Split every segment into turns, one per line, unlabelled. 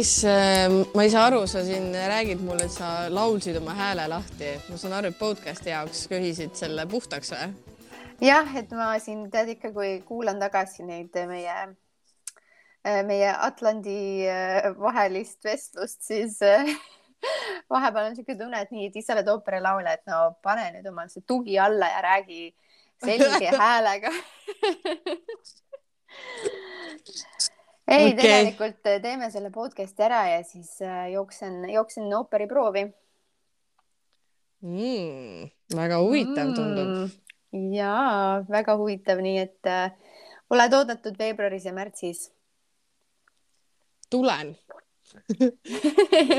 Meelis, ma ei saa aru, sa siin räägid mulle, et sa laulsid oma hääle lahti. Ma saan aru, et podcasti jaoks köhisid selle puhtaks või?
Jah, et ma siin tead ikka, kui kuulan tagasi neid meie Atlandi vahelist vestlust, siis vahepeal on siuke tunne, et nii, et ise oled ooperilaulja, et no pane nüüd omal see tugi alla ja räägi selge häälega. Ei, tegelikult teeme selle podcasti ära ja siis jooksen ooperiproovi.
Väga huvitav tundub.
Jaa, väga huvitav, nii et oled oodatud veebruaris ja märtsis.
Tulen.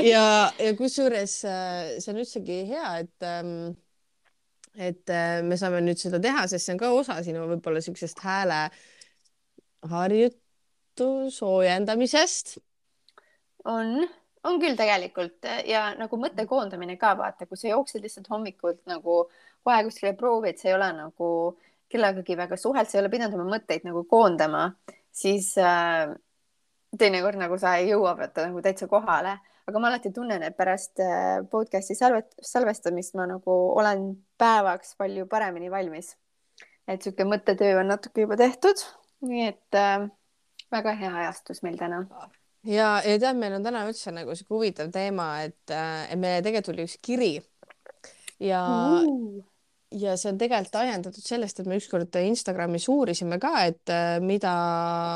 ja kusjuures see on üldsegi hea, et me saame nüüd seda teha, sest see on ka osa sinu võib-olla siuksest hääle soojendamisest.
On küll tegelikult ja nagu mõtte koondamine ka, vaata, kui sa jooksed lihtsalt hommikult nagu kohe kuskile proovi, et sa ei ole nagu kellegagi väga suhelt, sa ei ole pidanud oma mõtteid nagu koondama, siis teinekord nagu sa ei jõua võtta nagu täitsa kohale. Aga ma alati tunnen, et pärast podcasti salvestamist ma nagu olen päevaks palju paremini valmis. Et siuke mõttetöö on natuke juba tehtud. Nii et väga hea ajastus meil täna.
Ja tead, meil on täna üldse nagu siuke huvitav teema, et meile tegelikult tuli üks kiri ja see on tegelikult ajendatud sellest, et me ükskord Instagramis uurisime ka, et mida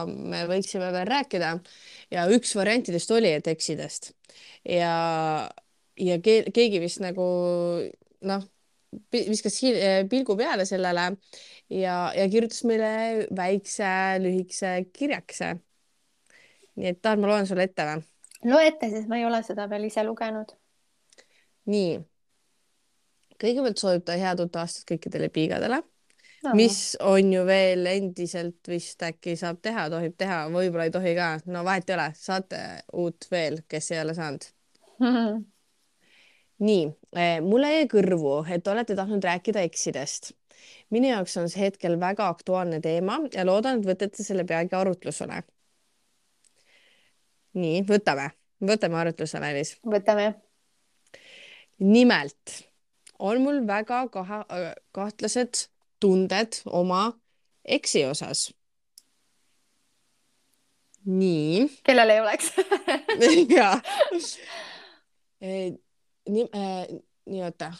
me võiksime veel rääkida ja üks variantidest oli, et eksidest ja keegi vist nagu viskas pilgu peale sellele ja kirjutas meile väikse lühikese kirjakese. Nii et tahan, ma loen sulle ette või?
Loe ette, sest ma ei ole seda veel ise lugenud.
Nii. Kõigepealt soovib ta head uut aastat kõikidele piigadele, mis on ju veel endiselt vist äkki saab teha, tohib teha, võib-olla ei tohi ka. No vahet ei ole, saate uut veel, kes ei ole saanud. Nii, mulle jäi kõrvu, et olete tahtnud rääkida eksidest. Minu jaoks on see hetkel väga aktuaalne teema ja loodan, et võtate selle peagi arutlusele. Nii, võtame arutlusele, Meelis.
Võtame.
Nimelt on mul väga kahtlased tunded oma eksi osas. Nii.
Kellel ei oleks?
ja. Nii, oota.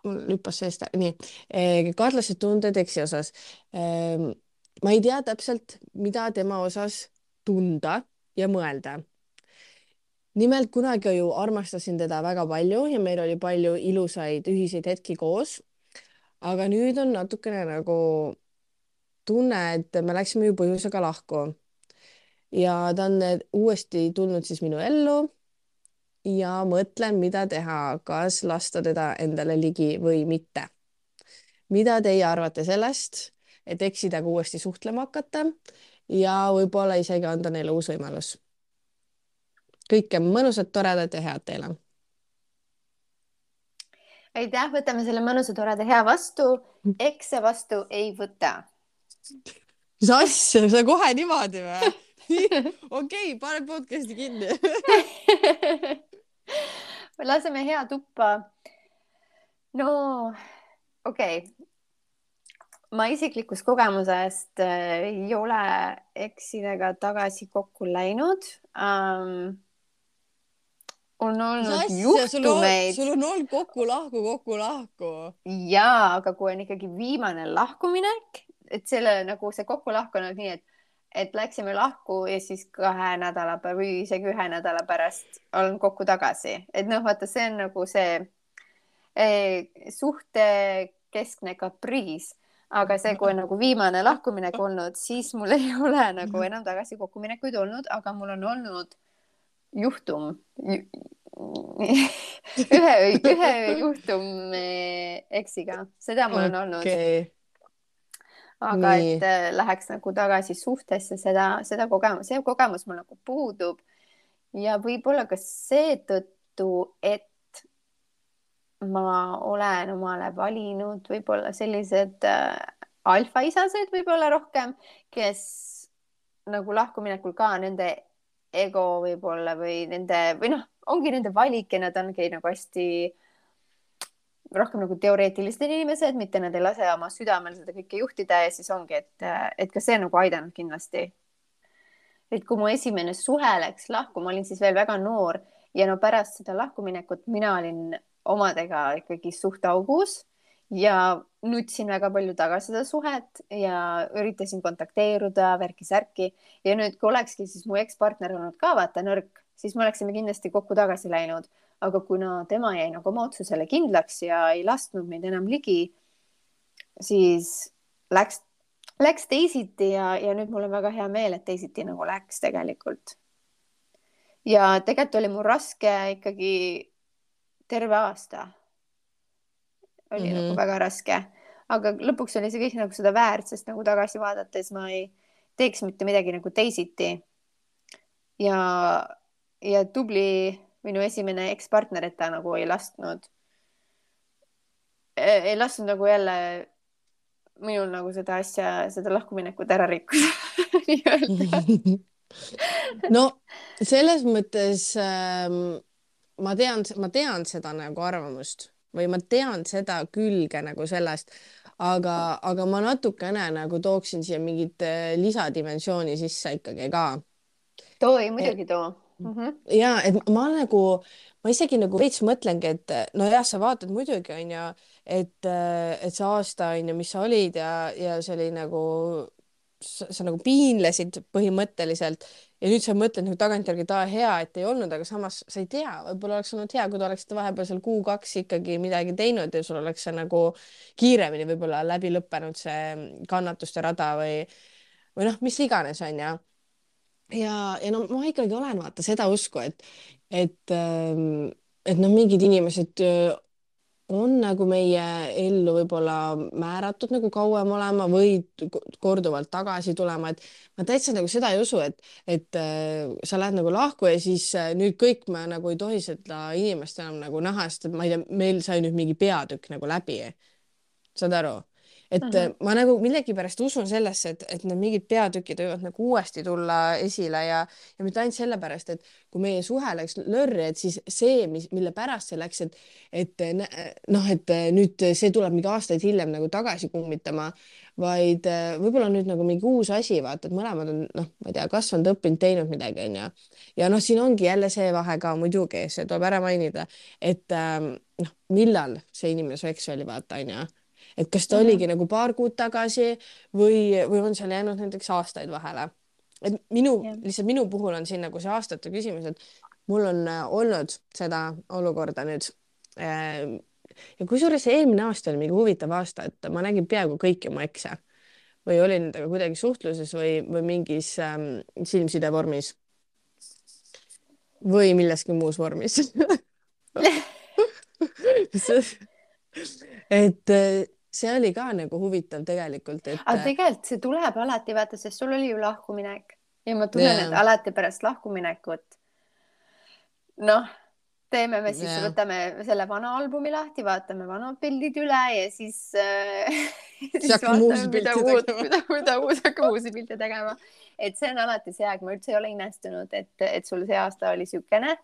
Mul lüppas seest. Nii. Kahtlased tunded eksi osas. Ma ei tea täpselt, mida tema osas tunda ja mõelda. Nimelt kunagi ju armastasin teda väga palju ja meil oli palju ilusaid ühiseid hetki koos. Aga nüüd on natukene nagu tunne, et me läksime ju põhjusega lahku. Ja ta on uuesti tulnud siis minu ellu ja mõtlen, mida teha, kas lasta teda endale ligi või mitte. Mida teie arvate sellest, et eksidaga uuesti suhtlema hakata ja võib-olla isegi anda neile uus võimalus? Kõike mõnusat, toredat ja head teile.
Aitäh, võtame selle mõnusa, toreda hea vastu. Ekse vastu ei võta.
Mis asja, sa kohe niimoodi või? Okei, pane podcasti kinni.
Laseme hea tuppa. No, okei. Ma isiklikust kogemusest ei ole eksidega tagasi kokku läinud. On olnud juhtumeid.
Sul on olnud kokku lahku.
Jaa, aga kui on ikkagi viimane lahkuminek, et selle nagu see kokku lahku on nii, et läksime lahku ja siis 2 nädala või isegi 1 nädala pärast olen kokku tagasi. Et vaata, see on nagu see suhte keskne kapriis. Aga see, kui on nagu viimane lahkuminek olnud, siis mul ei ole nagu enam tagasi kokkuminekuid olnud, aga mul on olnud juhtum, ühe juhtum eksiga, seda mul on olnud. Aga et läheks nagu tagasi suhtesse, see kogemus mul nagu puudub ja võib-olla ka seetõttu, et ma olen omale valinud võib-olla sellised alfaisased võib-olla rohkem, kes nagu lahkuminekul ka nende ego võib-olla või nende või noh, ongi nende valik ja nad ongi nagu hästi rohkem nagu teoreetilised inimesed, mitte nad ei lase oma südamel seda kõike juhtida ja siis ongi, et ka see on nagu aidanud kindlasti. Et kui mu esimene suhe läks lahku, ma olin siis veel väga noor ja no pärast seda lahkuminekut mina olin omadega ikkagi suht augus ja nutsin väga palju tagasi seda suhet ja üritasin kontakteeruda värki-särki ja nüüd, kui olekski siis mu ekspartner olnud ka vaata nõrk, siis me oleksime kindlasti kokku tagasi läinud, aga kuna tema jäi nagu oma otsusele kindlaks ja ei lasknud meid enam ligi, siis läks läks teisiti ja nüüd mul on väga hea meel, et teisiti nagu läks tegelikult. ja tegelikult oli mul raske ikkagi terve aasta. Oli nagu väga raske, aga lõpuks oli see kõik nagu seda väärt, sest nagu tagasi vaadates ma ei teeks mitte midagi nagu teisiti. ja tubli minu esimene ekspartner, et ta nagu ei lasknud nagu jälle minul nagu seda asja, seda lahkuminekut ära rikkuda nii-öelda.
no selles mõttes ma tean seda nagu arvamust või ma tean seda külge nagu sellest, aga ma natukene nagu tooksin siia mingit lisadimensiooni sisse ikkagi ka.
too ei muidugi too.
Ja et ma isegi nagu veits mõtlengi, et nojah, sa vaatad muidugi onju, et see aasta onju, mis sa olid ja see oli nagu sa nagu piinlesid põhimõtteliselt ja nüüd sa mõtled nagu tagantjärgi, et hea, et ei olnud, aga samas sa ei tea, võib-olla oleks olnud hea, kui te oleksite vahepeal seal kuu-kaks ikkagi midagi teinud ja sul oleks see nagu kiiremini võib-olla läbi lõppenud see kannatuste rada või noh, mis iganes onju. Ja no ma ikkagi olen vaata seda usku, et noh, mingid inimesed on nagu meie ellu võib-olla määratud nagu kauem olema või korduvalt tagasi tulema, et ma täitsa nagu seda ei usu, et sa lähed nagu lahku ja siis nüüd kõik me nagu ei tohi seda inimest enam nagu näha, sest et ma ei tea, meil sai nüüd mingi peatükk nagu läbi. Saad aru? Et ma nagu millegipärast usun sellesse, et need mingid peatükid võivad nagu uuesti tulla esile ja mitte ainult sellepärast, et kui meie suhe läks lörri, et siis see, mille pärast see läks, et noh, et nüüd see tuleb mingi aastaid hiljem nagu tagasi kummitama, vaid võib-olla nüüd nagu mingi uus asi, vaata, et mõlemad on, noh, ma ei tea, kasvanud, õppinud, teinud midagi, onju. Ja noh, siin ongi jälle see vahe ka muidugi, see tuleb ära mainida, et noh, millal see inimene su eks oli, vaata, onju. Et kas ta oligi nagu paar kuud tagasi või on seal jäänud näiteks aastaid vahele. Et lihtsalt minu puhul on siin nagu see aastate küsimus, et mul on olnud seda olukorda nüüd. Ja kusjuures eelmine aasta oli mingi huvitav aasta, et ma nägin peaaegu kõiki mu ekse või olin nendega kuidagi suhtluses või mingis silmside vormis või milleski muus vormis. et see oli ka nagu huvitav tegelikult, et.
aga tegelikult see tuleb alati, vaata, sest sul oli ju lahkuminek ja ma tunnen, et alati pärast lahkuminekut, noh, teeme me siis, võtame selle vana albumi lahti, vaatame vanad pildid üle ja siis vaatame, mida uus hakkab uusi pilte tegema. Et see on alati see aeg, ma üldse ei ole imestunud, et sul see aasta oli siukene,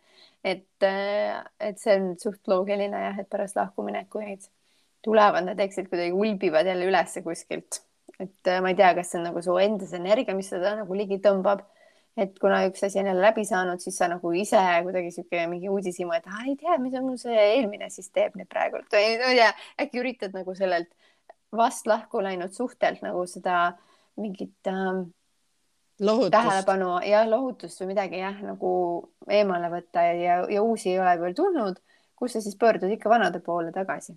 et see on suht loogiline jah, et pärast lahkuminekuid tulevad need eksid kuidagi ulbivad jälle ülesse kuskilt. Et ma ei tea, kas see on nagu su endas energia, mis seda nagu ligi tõmbab. Et kuna üks asi on jälle läbi saanud, siis sa nagu ise kuidagi siuke mingi uudishimu, et ei tea, mis on mul see eelmine siis teeb nüüd praegult. Ja äkki üritad nagu sellelt vast lahku läinud suhtelt nagu seda mingit tähelepanu ja lohutust või midagi jah, nagu eemale võtta ja uusi ei ole veel tulnud, kus sa siis pöördud ikka vanade poole tagasi.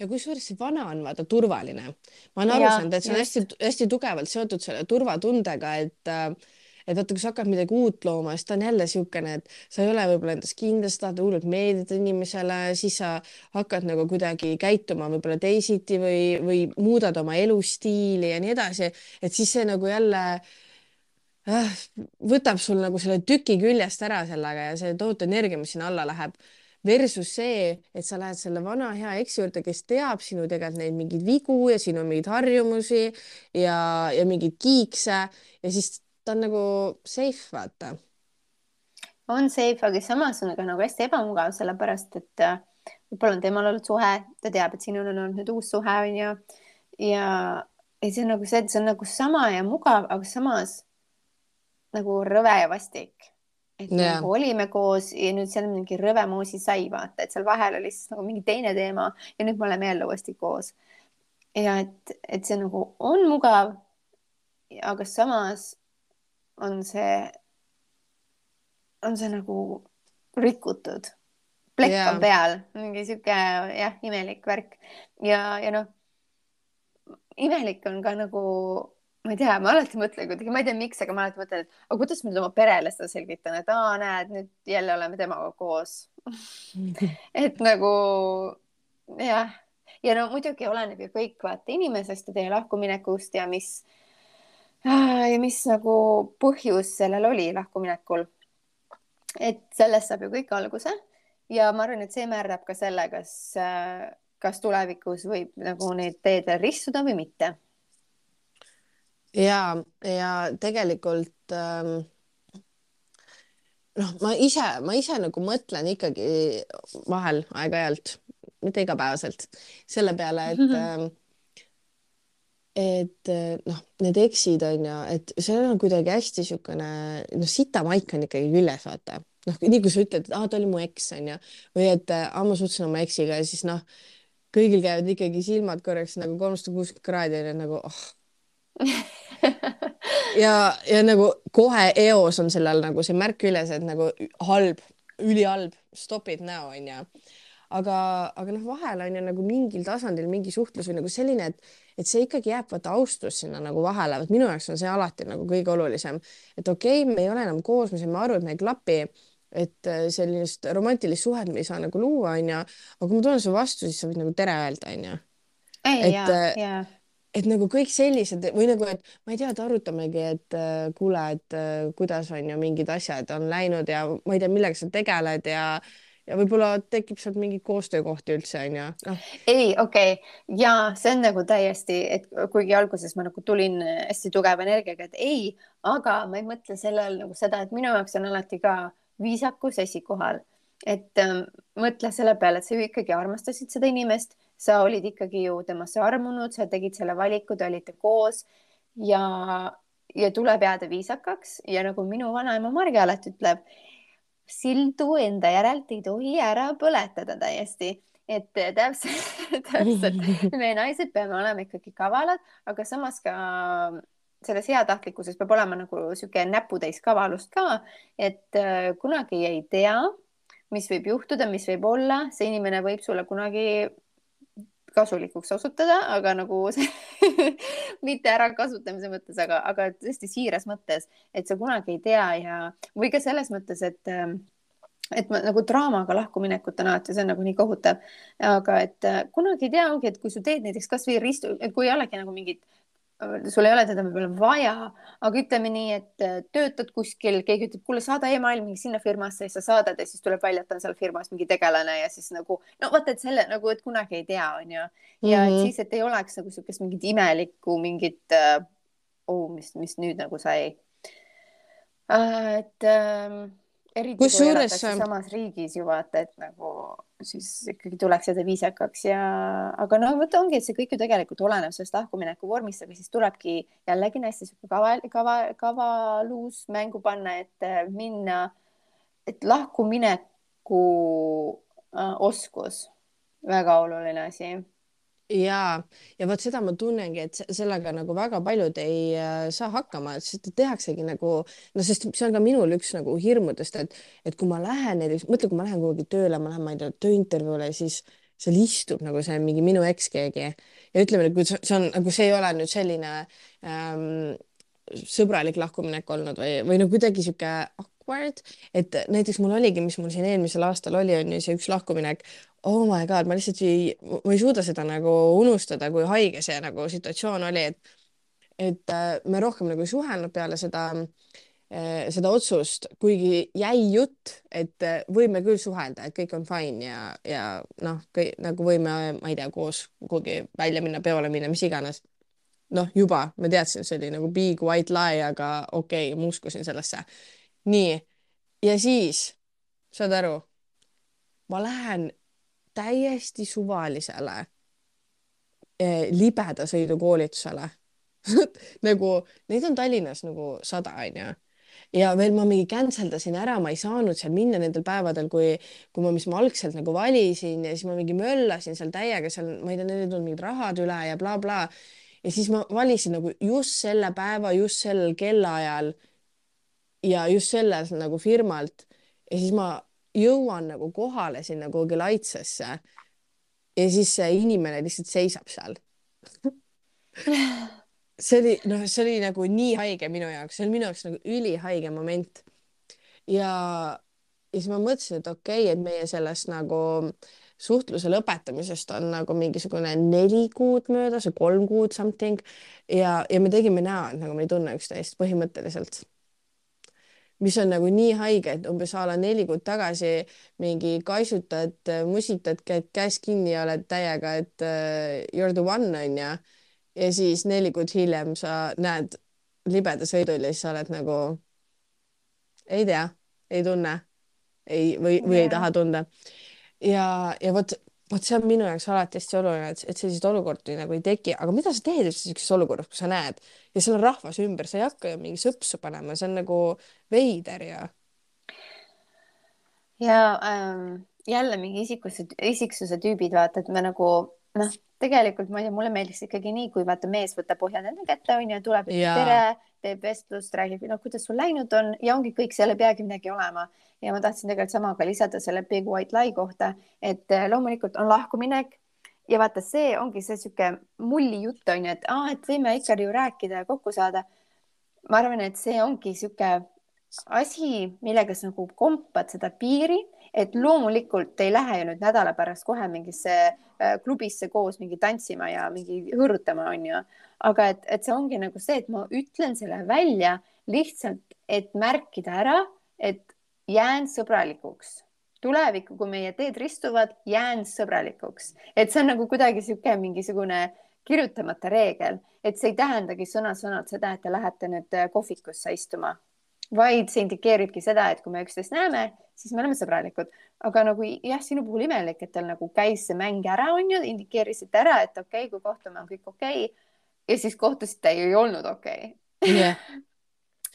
Ja kusjuures see vana on vaata turvaline. Ma olen aru saanud, et see on hästi tugevalt seotud selle turvatundega, et vaata, kui sa hakkad midagi uut looma, siis ta on jälle siukene, et sa ei ole võib-olla endas kindlasti, tahad hullult meeldida inimesele, siis sa hakkad nagu kuidagi käituma võib-olla teisiti või muudad oma elustiili ja nii edasi, et siis see nagu jälle võtab sul nagu selle tüki küljest ära sellega ja see tohutu energia, mis sinna alla läheb. Versus see, et sa lähed selle vana hea eksi juurde, kes teab sinu tegelikult neid mingeid vigu ja sinu mingeid harjumusi ja mingeid kiikse ja siis ta on nagu safe, vaata.
on safe, aga samas on ka nagu hästi ebamugav, sellepärast et võib-olla on temal olnud suhe, ta teab, et sinul on olnud nüüd uus suhe, onju. ja, ja see on nagu see, et see on nagu sama ja mugav, aga samas nagu rõve ja vastik. et me
ja,
nagu olime koos ja nüüd seal on mingi rõve moosi sai, vaata, et seal vahel oli siis nagu mingi teine teema ja nüüd me oleme jälle uuesti koos. ja et see nagu on mugav, aga samas on see nagu rikutud. Plekk on
ja,
peal, mingi sihuke jah, imelik värk ja noh, imelik on ka nagu, ma ei tea, ma alati mõtlen kuidagi, ma ei tea, miks, aga ma alati mõtlen, et aga kuidas ma nüüd oma perele seda selgitan, et näed, nüüd jälle oleme temaga koos et nagu jah, ja no muidugi oleneb ju kõik vaata inimesest ja teie lahkuminekust ja mis nagu põhjus sellel oli lahkuminekul. et sellest saab ju kõik alguse ja ma arvan, et see määrab ka selle, kas tulevikus võib nagu need teed veel ristuda või mitte.
ja tegelikult noh, ma ise nagu mõtlen ikkagi vahel aeg-ajalt, mitte igapäevaselt, selle peale, et noh, need eksid on ju, et see on kuidagi hästi niisugune, noh, sitamaik on ikkagi küljes, vaata. noh, nii kui sa ütled, et ta oli mu eks, on ju, või et ma suhtlesin oma eksiga ja siis noh, kõigil käivad ikkagi silmad korraks nagu 360 kraadi on ju nagu oh. ja nagu kohe eos on sellel nagu see märk küljes, et nagu halb, ülihalb, stop it now on ju. aga noh, vahel on ju nagu mingil tasandil mingi suhtlus või nagu selline, et see ikkagi jääb vaata austus sinna nagu vahele, vot minu jaoks on see alati nagu kõige olulisem, et okei, me ei ole enam koos, me saame aru, et me ei klapi, et sellist romantilist suhet me ei saa nagu luua, onju, aga kui ma tulen su vastu, siis sa võid nagu tere öelda, onju.
ei,
et
ja.
et nagu kõik sellised või nagu, et ma ei tea, et arutamegi, et kuule, et kuidas on ju mingid asjad on läinud ja ma ei tea, millega sa tegeled ja võib-olla tekib sealt mingeid koostöökohti üldse onju, noh.
ei, okei ja see on nagu täiesti, et kuigi alguses ma nagu tulin hästi tugeva energiaga, et ei, aga ma ei mõtle selle all nagu seda, et minu jaoks on alati ka viisakus esikohal. et mõtle selle peale, et sa ju ikkagi armastasid seda inimest, sa olid ikkagi ju temasse armunud, sa tegid selle valiku, te olite koos ja tuleb jääda viisakaks ja nagu minu vanaema Marge alati ütleb, sildu enda järelt ei tohi ära põletada täiesti, et täpselt, me naised peame olema ikkagi kavalad, aga samas ka selles heatahtlikkuses peab olema nagu sihuke näputäis kavalust ka, et kunagi ei tea, mis võib juhtuda, mis võib olla, see inimene võib sulle kunagi kasulikuks osutuda, aga nagu mitte ärakasutamise mõttes, aga tõesti siiras mõttes, et sa kunagi ei tea ja või ka selles mõttes, et ma nagu draamaga lahkuminekut on alati, see on nagu nii kohutav, aga et kunagi ei tea, ongi, et kui sa teed näiteks kasvõi ristu, et kui ei olegi nagu mingit, sul ei ole teda võib-olla vaja, aga ütleme nii, et töötad kuskil, keegi ütleb, kuule, saada email mingi sinna firmasse ja sa saadad ja siis tuleb välja, et on seal firmas mingi tegelane ja siis nagu no vaata, et selle nagu, et kunagi ei tea, onju. ja et siis, et ei oleks nagu siukest mingit imelikku mingit mis nüüd nagu sai. et eriti kui
kusjuures
elatakse samas riigis ju vaata, et nagu siis ikkagi tuleks jääda viisakaks aga no vot ongi, et see kõik ju tegelikult oleneb sellest lahkumineku vormist, aga siis tulebki jällegi hästi sihuke kavalus mängu panna, et minna, et lahkumineku oskus, väga oluline asi.
ja vot seda ma tunnengi, et sellega nagu väga paljud ei saa hakkama, sest tehaksegi nagu no, sest see on ka minul üks nagu hirmudest, et kui ma lähen näiteks, mõtle, kui ma lähen kuhugi tööle, ma lähen, ma ei tea, tööintervjuule, siis seal istub nagu see mingi minu eks keegi ja ütleme, et kui see on nagu, see ei ole nüüd selline sõbralik lahkuminek olnud või no kuidagi sihuke awkward, et näiteks mul oligi, mis mul siin eelmisel aastal oli, on ju see üks lahkuminek. Oh my god, ma lihtsalt ma ei suuda seda nagu unustada, kui haige see nagu situatsioon oli, et me rohkem nagu ei suhelnud peale seda otsust, kuigi jäi jutt, et võime küll suhelda, et kõik on fine ja noh, nagu võime, ma ei tea, koos kuhugi välja minna, peole minna, mis iganes. Noh, juba ma teadsin, see oli nagu big white lie, aga okei, ma uskusin sellesse. nii ja siis, saad aru, ma lähen täiesti suvalisele libedasõidukoolitusele nagu neid on Tallinnas nagu 100 onju ja veel ma mingi canceldasin ära, ma ei saanud seal minna nendel päevadel, mis ma algselt nagu valisin ja siis ma mingi möllasin seal täiega seal, ma ei tea, neil ei tulnud mingid rahad üle ja blablabla bla. Ja siis ma valisin nagu just selle päeva, just sellel kellaajal ja just sellel nagu firmalt ja siis ma jõuan nagu kohale sinna kuhugi Laitsesse ja siis see inimene lihtsalt seisab seal. See oli nagu nii haige minu jaoks, see oli minu jaoks nagu ülihaige moment ja siis ma mõtlesin, et okei, et meie sellest nagu suhtluse lõpetamisest on nagu mingisugune 4 kuud möödas või 3 kuud something ja me tegime näo, et nagu me ei tunne üksteist põhimõtteliselt, mis on nagu nii haige, et umbes a la 4 kuud tagasi mingi kaisutad, musitad, käid käes kinni ja oled täiega, et you're the one onju. Ja siis 4 kuud hiljem sa näed libeda sõidul ja siis sa oled nagu ei tea, ei tunne või ei taha tunda. Ja vot see on minu jaoks alati hästi oluline, et selliseid olukordi nagu ei teki, aga mida sa teed üldse sellises olukorras, kui sa näed ja seal on rahvas ümber, sa ei hakka ju mingi sõpsu panema, see on nagu veider
ja jälle mingi isiksuse tüübid, vaata, et me nagu noh, tegelikult ma ei tea, mulle meeldiks ikkagi nii, kui vaata mees võtab ohjad enda kätte onju, tuleb, ütleb tere, teeb vestlust, räägib, no kuidas sul läinud on ja ongi kõik, seal ei peagi midagi olema. Ja ma tahtsin tegelikult sama ka lisada selle Big White Lie kohta, et loomulikult on lahkuminek ja vaata, see ongi see sihuke mulli jutt onju, et võime ikka ju rääkida ja kokku saada. Ma arvan, et see ongi sihuke asi, millega sa nagu kompad seda piiri, et loomulikult ei lähe ju nüüd nädala pärast kohe mingisse klubisse koos mingi tantsima ja mingi hõõrutama onju, aga et see ongi nagu see, et ma ütlen selle välja lihtsalt, et märkida ära, et jään sõbralikuks tulevikku, kui meie teed ristuvad, jään sõbralikuks, et see on nagu kuidagi sihuke mingisugune kirjutamata reegel, et see ei tähendagi sõna-sõnalt seda, et te lähete nüüd kohvikusse istuma, vaid see indikeeribki seda, et kui me üksteist näeme, siis me oleme sõbralikud. Aga nagu jah, sinu puhul imelik, et teil nagu käis see mäng ära, onju, indikeerisite ära, et okei, kui kohtume, on kõik okei. Ja siis kohtusite ja ei olnud okei.
Yeah.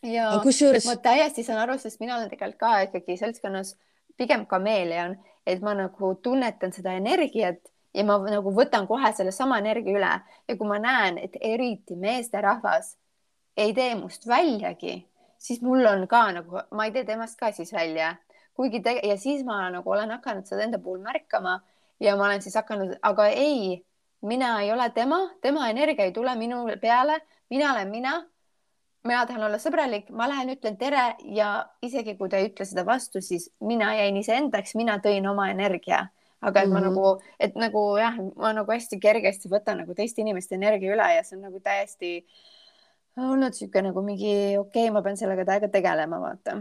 Ja
kusjuures...
ma täiesti saan aru, sest mina olen tegelikult ka ikkagi seltskonnas pigem kameeleon, et ma nagu tunnetan seda energiat ja ma nagu võtan kohe selle sama energia üle. Ja kui ma näen, et eriti meesterahvas ei tee must väljagi, siis mul on ka nagu, ma ei tee temast ka siis välja, ja siis ma nagu olen hakanud seda enda puhul märkama ja ma olen siis hakanud, aga ei, mina ei ole tema energia ei tule minu peale, mina olen mina tahan olla sõbralik, ma lähen, ütlen tere ja isegi kui ta ei ütle seda vastu, siis mina jäin iseendaks, mina tõin oma energia. Aga et ma nagu jah, ma nagu hästi kergesti võtan nagu teiste inimeste energia üle ja see on nagu täiesti olnud siuke nagu mingi okei, ma pean sellega täiega tegelema, vaata.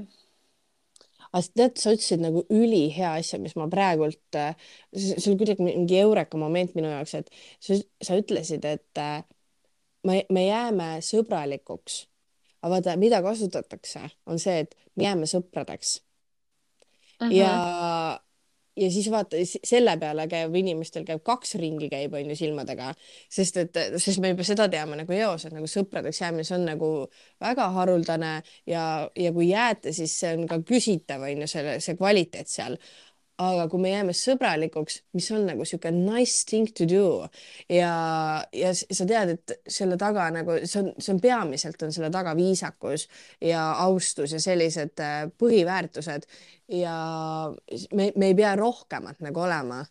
Aga tead, sa ütlesid nagu ülihea asja, mis ma praegult, see oli kuidagi mingi eureka moment minu jaoks, et sa ütlesid, et me jääme sõbralikuks. Aga vaata, mida kasutatakse, on see, et me jääme sõpradeks. Ja siis vaata, selle peale inimestel käib 2 ringi käib on ju silmadega, sest me juba seda teame nagu eos, et nagu sõpradeks jäämine, see on nagu väga haruldane ja kui jääte, siis see on ka küsitav on ju see kvaliteet seal. Aga kui me jääme sõbralikuks, mis on nagu siuke nice thing to do ja sa tead, et selle taga nagu see on peamiselt on selle taga viisakus ja austus ja sellised põhiväärtused ja me ei pea rohkemat nagu olema.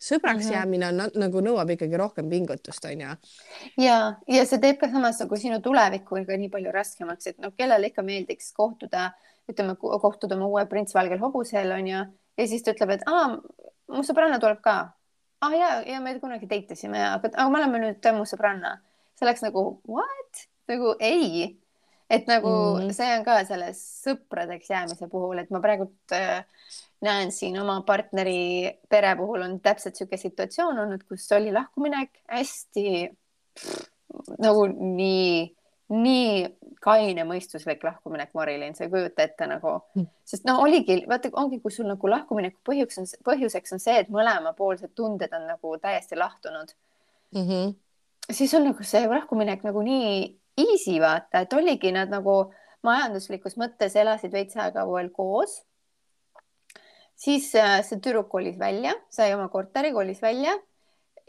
Sõbraks jäämine on nagu nõuab ikkagi rohkem pingutust, on ju.
Ja see teeb ka samas nagu sinu tulevikku nii palju raskemaks, et kellele ikka meeldiks kohtuda, ütleme, kohtuda oma uue prints valgel hobusel, on ju. Ja siis ta ütleb, et mu sõbranna tuleb ka. Ja me kunagi deitasime, aga me oleme nüüd mu sõbranna. See oleks nagu, what? Nagu ei. Et nagu see on ka selles sõpradeks jäämise puhul, et ma praegult näen siin oma partneri pere puhul on täpselt siuke situatsioon olnud, kus oli lahkuminek hästi nagu nii kainemõistuslik lahkuminek, Marilyn, sa ei kujuta ette nagu, sest noh, oligi, vaata, ongi, kui sul nagu lahkumineku põhjuseks on see, et mõlemapoolsed tunded on nagu täiesti lahtunud,
-hmm.
siis on nagu see lahkuminek nagu nii easy, vaata, et oligi nad nagu majanduslikus mõttes elasid veits aega veel koos. Siis see tüdruk kolis välja, sai oma korteri, kolis välja,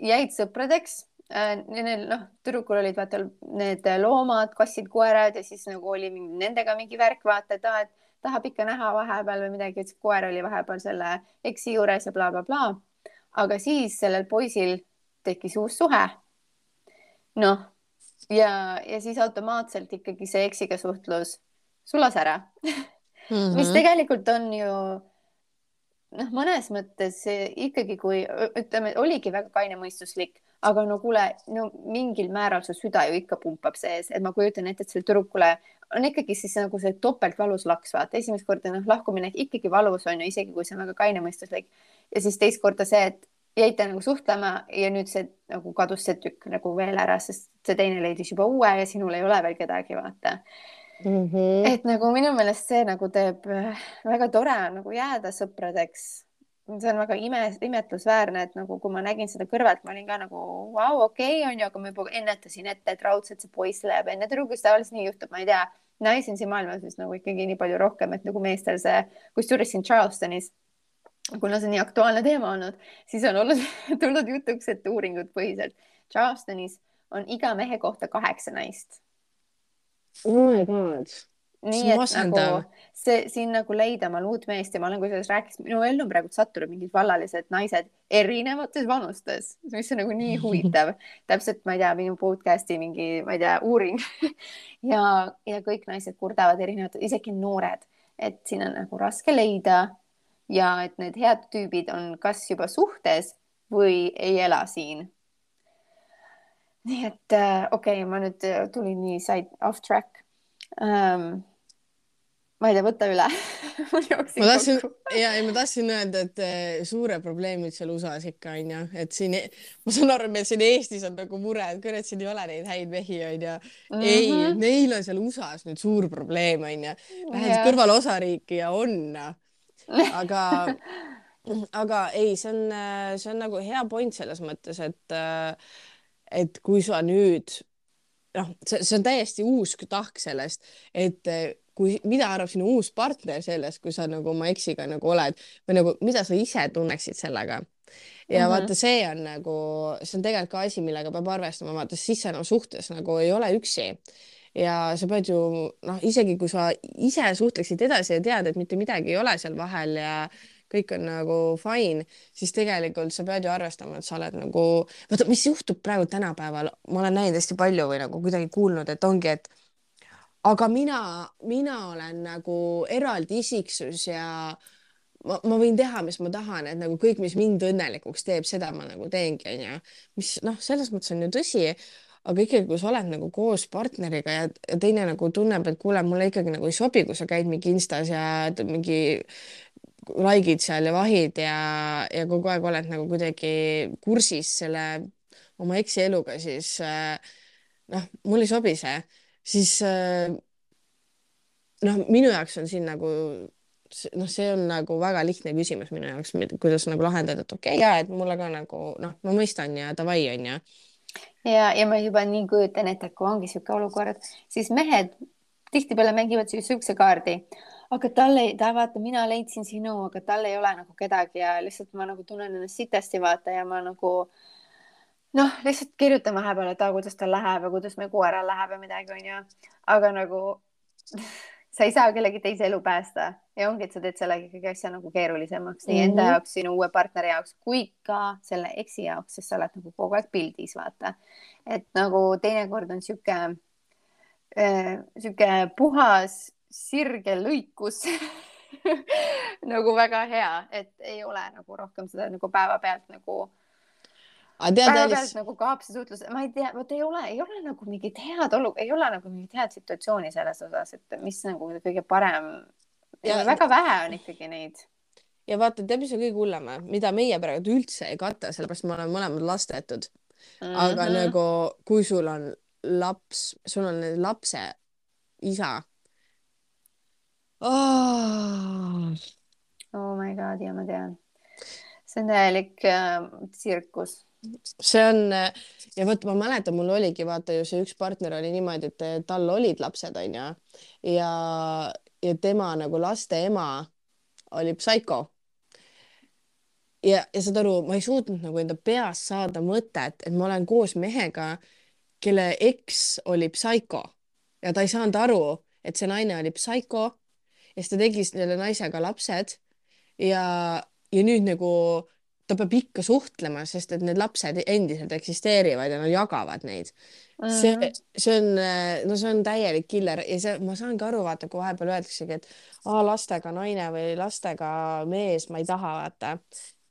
jäid sõpradeks. Noh, tüdrukul olid vaata need loomad, kassid, koerad ja siis nagu oli nendega mingi värk, vaata, et tahab ikka näha vahepeal või midagi, ütles, koer oli vahepeal selle eksi juures ja blablabla bla, bla. Aga siis sellel poisil tekkis uus suhe. Noh, ja siis automaatselt ikkagi see eksiga suhtlus sulas ära mis tegelikult on ju noh, mõnes mõttes ikkagi, kui ütleme, oligi väga kainemõistuslik, aga no kuule, no mingil määral su süda ju ikka pumpab sees, et ma kujutan ette, et sellel tüdrukule on ikkagi siis nagu see topeltvalus laks, vaata, esimest korda noh, lahkumine ikkagi valus on ju, isegi kui see on väga kainemõistuslik ja siis teist korda see, et jäite nagu suhtlema ja nüüd see nagu kadus see tükk nagu veel ära, sest see teine leidis juba uue ja sinul ei ole veel kedagi, vaata. Et nagu minu meelest see nagu teeb väga tore nagu jääda sõpradeks. See on väga imetlusväärne, et nagu kui ma nägin seda kõrvalt, ma olin ka nagu vau, okei, on ju, aga ma juba ennetasin ette, et raudselt see poiss läheb enne tüdrukust, tavaliselt nii juhtub, ma ei tea, naisi on siin maailmas vist nagu ikkagi nii palju rohkem, et nagu meestel see, kusjuures siin Charlestonis, kuna see on nii aktuaalne teema olnud, siis on olnud tulnud jutuks, et uuringud põhiselt Charlestonis on iga mehe kohta 8 naist.
Oh my god.
Nii et nagu see siin nagu leida oma uut meest ja ma olen, kui sellest rääkis, minu ellu on praegu sattunud mingid vallalised naised erinevates vanustes, mis on nagu nii huvitav. Täpselt, ma ei tea, minu podcasti mingi, ma ei tea, uuring ja kõik naised kurdavad erinevad, isegi noored, et siin on nagu raske leida ja et need head tüübid on kas juba suhtes või ei ela siin. Nii et okei, ma nüüd tulin nii side off track. Ma ei tea, võta üle.
ma tahtsin öelda, et suure probleemid seal USA-s ikka on ju, et siin, ma saan aru, meil siin Eestis on nagu mure, et kurat, siin ei ole neid häid mehi on ju. Ei, neil on seal USA-s nüüd suur probleem on ju. Lähed kõrval osariiki ja on. Aga ei, see on nagu hea point selles mõttes, et kui sa nüüd, noh, see on täiesti uus tahk sellest, et mida arvab sinu uus partner sellest, kui sa nagu oma eksiga nagu oled või nagu, mida sa ise tunneksid sellega. Ja vaata, see on tegelikult ka asi, millega peab arvestama, vaata, siis sa enam suhtes nagu ei ole üksi. Ja sa pead ju, noh, isegi kui sa ise suhtleksid edasi ja tead, et mitte midagi ei ole seal vahel ja kõik on nagu fine, siis tegelikult sa pead ju arvestama, et sa oled nagu, vaata, mis juhtub praegu tänapäeval, ma olen näinud hästi palju või nagu kuidagi kuulnud, et ongi, et aga mina olen nagu eraldi isiksus ja ma võin teha, mis ma tahan, et nagu kõik, mis mind õnnelikuks teeb, seda ma nagu teengi, on ju. Mis noh, selles mõttes on ju tõsi, aga ikkagi, kui sa oled nagu koos partneriga ja teine nagu tunneb, et kuule, mulle ikkagi nagu ei sobi, kui sa käid mingi Instas ja mingi likeid seal ja vahid ja kogu aeg oled nagu kuidagi kursis selle oma eksi eluga, siis noh, mul ei sobi see. Siis noh, minu jaoks on siin nagu noh, see on nagu väga lihtne küsimus minu jaoks, kuidas nagu lahendada, et okei, et mulle ka nagu noh, ma mõistan ja davai on ju.
Ja ma juba nii kujutan ette, et kui ongi siuke olukord, siis mehed tihtipeale mängivad siukse kaardi, aga vaata, mina leidsin sinu, aga tal ei ole nagu kedagi ja lihtsalt ma nagu tunnen ennast sitasti, vaata, ja ma nagu noh, lihtsalt kirjutan vahepeal, et kuidas tal läheb ja kuidas meil koeral läheb ja midagi on ju, aga nagu sa ei saa kellegi teise elu päästa ja ongi, et sa teed selle ikkagi asja nagu keerulisemaks nii enda jaoks, sinu uue partneri jaoks kui ka selle eksi jaoks, sest sa oled nagu kogu aeg pildis, vaata. Et nagu teinekord on siuke puhas sirge lõikus nagu väga hea, et ei ole nagu rohkem seda nagu päevapealt nagu kaapse suhtlus, ma ei tea, vot ei ole nagu mingit head ei ole nagu mingit head situatsiooni selles osas, et mis nagu kõige parem ja väga vähe on ikkagi neid.
Ja vaata, tead, mis on kõige hullem, mida meie praegu üldse ei kata, sellepärast me oleme mõlemad lastetud. Aga nagu, kui sul on laps, sul on lapse isa oh..
Oh my God, ja ma tean. See on täielik tsirkus.
see on ja vot ma mäletan, mul oligi vaata ju see üks partner oli niimoodi, et tal olid lapsed, onju, ja tema nagu laste ema oli psühho ja saad aru, ma ei suutnud nagu enda peas saada mõtet, et ma olen koos mehega, kelle eks oli psühho ja ta ei saanud aru, et see naine oli psühho ja siis ta tegi selle naisega lapsed ja, ja nüüd nagu ta peab ikka suhtlema, sest et need lapsed endiselt eksisteerivad ja nad jagavad neid. See on, no see on täielik killer ja see, ma saangi aru, vaata, kui vahepeal öeldaksegi, et lastega naine või lastega mees, ma ei taha, vaata.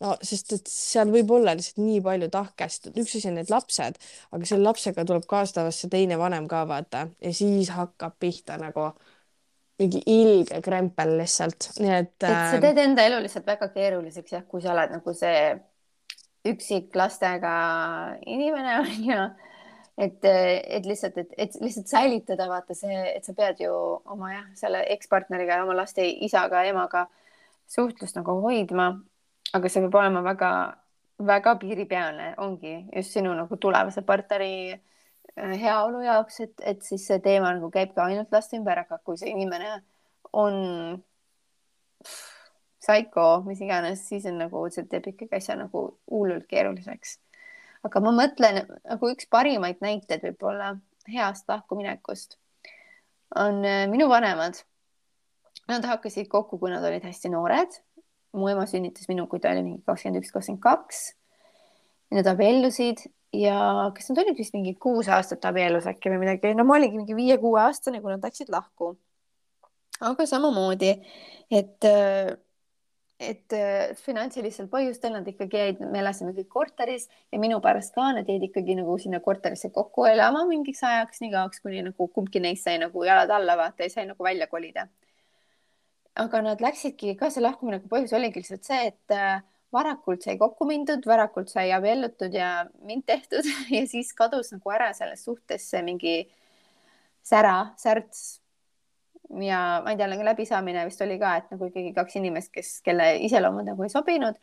No sest et seal võib olla lihtsalt nii palju tahkest, üks asi on need lapsed, aga selle lapsega tuleb kaasatavasse teine vanem ka, vaata, ja siis hakkab pihta nagu mingi ilge krempel lihtsalt, nii et
et sa teed enda elu lihtsalt väga keeruliseks, jah, kui sa oled nagu see üksik lastega inimene on ju, et lihtsalt, et lihtsalt säilitada, vaata see, et sa pead ju oma jah, selle ekspartneriga ja oma laste isaga ja emaga suhtlust nagu hoidma, aga see peab olema väga piiripealne, ongi just sinu nagu tulevase partneri heaolu jaoks, et siis see teema nagu käib ka ainult laste ümber, aga kui see inimene on psycho, mis iganes, siis on nagu, see teeb ikkagi asja nagu hullult keeruliseks. aga ma mõtlen, nagu üks parimaid näiteid võib-olla heast lahkuminekust on minu vanemad. Nad hakkasid kokku, kui nad olid hästi noored. Mu ema sünnitas minu, kui ta oli mingi 21, 22. Nad abiellusid ja kas nad olid vist mingi 6 aastat abiellus äkki või midagi. No ma olingi mingi 5-6 aastane, kui nad läksid lahku. Aga samamoodi, et finantsilistel põhjustel nad ikkagi jäid, me elasime kõik korteris ja minu pärast ka nad jäid ikkagi nagu sinna korterisse kokku elama mingiks ajaks, nii kauaks, kuni nagu kumbki neist sai nagu jalad alla, vaata, ja sai nagu välja kolida. aga nad läksidki ka, see lahkumineku põhjus oligi lihtsalt see, et varakult sai kokku mindud, varakult sai abiellutud ja mind tehtud ja siis kadus nagu ära selles suhtes see mingi särts. ja ma ei tea, nagu läbisaamine vist oli ka, et nagu ikkagi 2 inimest, kelle iseloomud nagu ei sobinud.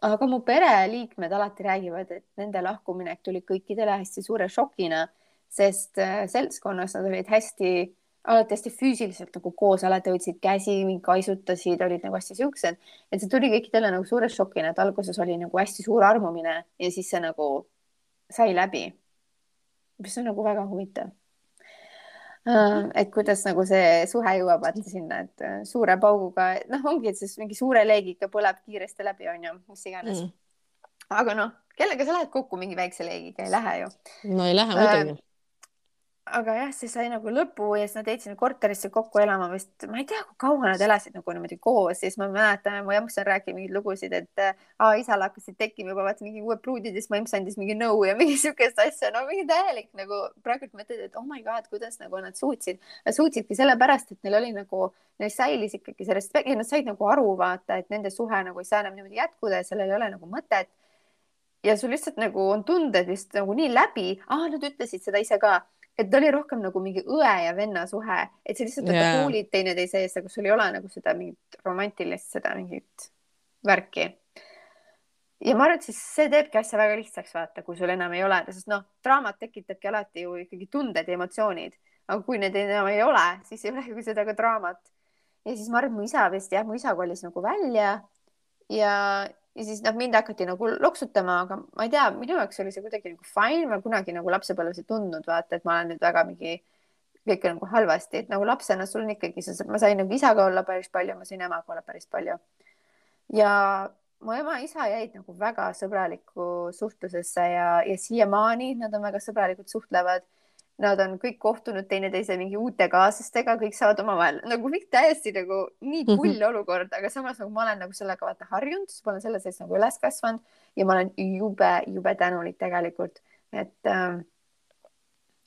aga mu pereliikmed alati räägivad, et nende lahkuminek tuli kõikidele hästi suure šokina, sest seltskonnas nad olid alati hästi füüsiliselt nagu koos, alati hoidsid käsi, kaisutasid, olid nagu hästi siuksed, et see tuli kõikidele nagu suure šokina, et alguses oli nagu hästi suur armumine ja siis see nagu sai läbi. mis on nagu väga huvitav. et kuidas nagu see suhe jõuab vaata sinna, et suure pauguga, noh, ongi, et siis mingi suure leegiga põleb kiiresti läbi, on ju, mis iganes. aga noh, kellega sa lähed kokku mingi väikse leegiga, ei lähe ju.
no ei lähe muidugi.
aga jah, see sai nagu lõpu ja siis nad jäid sinna korterisse kokku elama vist, ma ei tea, kui kaua nad elasid nagu niimoodi koos, siis ma mäletan, mu emps on rääkinud mingeid lugusid, et isal hakkasid tekkima juba vaata mingi uued pruudid ja siis mu emps andis mingi nõu ja mingi siukest asja, no mingi täielik nagu praegu mõtled, et oh my god, kuidas nagu nad suutsidki sellepärast, et neil oli nagu, neil säilis ikkagi see respekt ja nad said nagu aru vaata, et nende suhe nagu ei saa enam niimoodi jätkuda ja sellel ei ole nagu mõtet. ja sul lihtsalt nagu on tunded vist nagu nii läbi, nad ütlesid seda ise ka, et ta oli rohkem nagu mingi õe ja venna suhe, et sa lihtsalt hoolid teineteise eest, aga sul ei ole nagu seda mingit romantilist, seda mingit värki. ja ma arvan, et siis see teebki asja väga lihtsaks, vaata, kui sul enam ei ole, sest noh, draamat tekitabki alati ju ikkagi tunded ja emotsioonid, aga kui need enam ei ole, siis ei ole ju seda ka draamat. ja siis ma arvan, et mu isa kolis nagu välja ja siis mind hakati nagu loksutama, aga ma ei tea, minu jaoks oli see kuidagi nagu fine, ma kunagi nagu lapsepõlves ei tundnud, vaata, et ma olen nüüd väga mingi kõik nagu halvasti, et nagu lapsena sul on ikkagi, ma sain nagu isaga olla päris palju, ma sain emaga olla päris palju. ja mu ema ja isa jäid nagu väga sõbralikku suhtlusesse ja siiamaani nad on väga sõbralikud, suhtlevad. Nad on kõik kohtunud teineteise mingi uute kaaslastega, kõik saavad omavahel nagu kõik täiesti nagu nii pull olukord, aga samas nagu ma olen nagu sellega vaata harjunud, ma olen selle sees nagu üles kasvanud ja ma olen jube tänulik tegelikult, et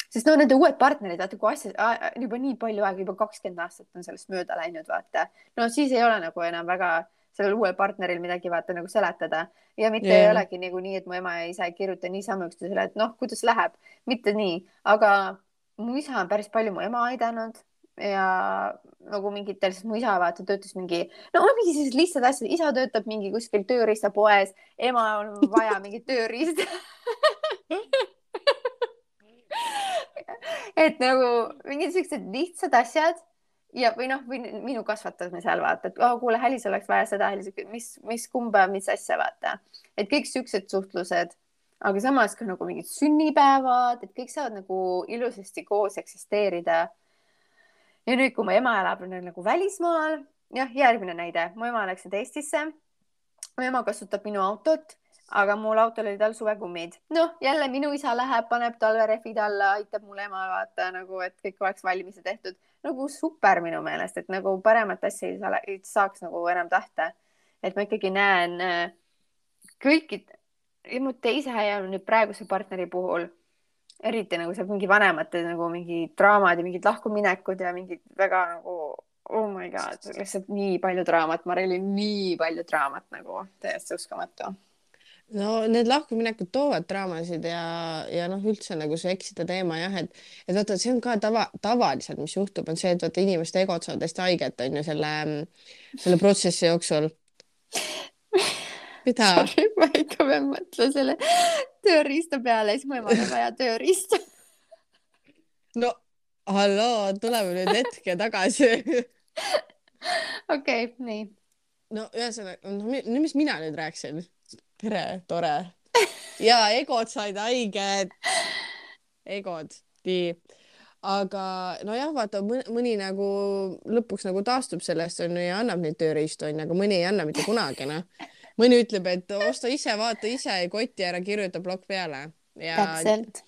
sest no nende uued partnerid, vaata kui asja juba nii palju aega, juba 20 aastat on sellest mööda läinud, vaata, no siis ei ole nagu enam väga sellel uuel partneril midagi vaata nagu seletada ja mitte ei olegi nagu nii, et mu ema ja isa ei kirjuta niisama üksteisele, et noh, kuidas läheb, mitte nii, aga mu isa on päris palju mu ema aidanud ja nagu mingitel, siis mu isa vaata töötas mingi, no on mingi sellised lihtsad asjad, isa töötab mingi kuskil tööriistapoes, ema on vaja mingit tööriista et nagu mingid siuksed lihtsad asjad ja, või noh, või minu kasvatamisel vaata, et oh, kuule, Hälis oleks vaja seda, mis kumba, mis asja vaata, et kõik siuksed suhtlused, aga samas ka nagu mingid sünnipäevad, et kõik saavad nagu ilusasti koos eksisteerida. Ja nüüd, kui mu ema elab nagu välismaal, jah, järgmine näide, mu ema läks nüüd Eestisse, mu ema kasutab minu autot, aga mul autol oli tal suvekummid. noh, jälle minu isa läheb, paneb talverehvid alla, aitab mul ema vaata nagu, et kõik oleks valmis ja tehtud. Nagu super minu meelest, et nagu paremat asja ei saaks nagu enam tahta. Et ma ikkagi näen kõikid, ja mu teise ja nüüd praeguse partneri puhul, eriti nagu seal mingi vanemate nagu mingi draamad ja mingid lahkuminekud ja mingid väga nagu oh my god, lihtsalt nii palju draamat, Mareli, nii palju draamat nagu täiesti uskumatu.
no need lahkuminekud toovad draamasid ja noh, üldse nagu see eksida teema jah, et vaata, see on ka tavaliselt, mis juhtub, on see, et vaata inimeste egod saavad hästi haiget, on ju, selle protsessi jooksul. mida?
Sorry, ma ikka pean mõtlema selle tööriista peale, siis mu emal on vaja tööriista.
no halloo, tuleme nüüd hetke tagasi.
okei, nii.
no ühesõnaga, no mis mina nüüd rääkisin? tere, tore. ja egod said haiget. egod, nii. aga nojah, vaata mõni nagu lõpuks nagu taastub sellest on ju ja annab neid tööriistu on ju, aga mõni ei anna mitte kunagi noh. mõni ütleb, et osta ise, vaata ise, koti ära, kirjuta plokk peale.
Täpselt.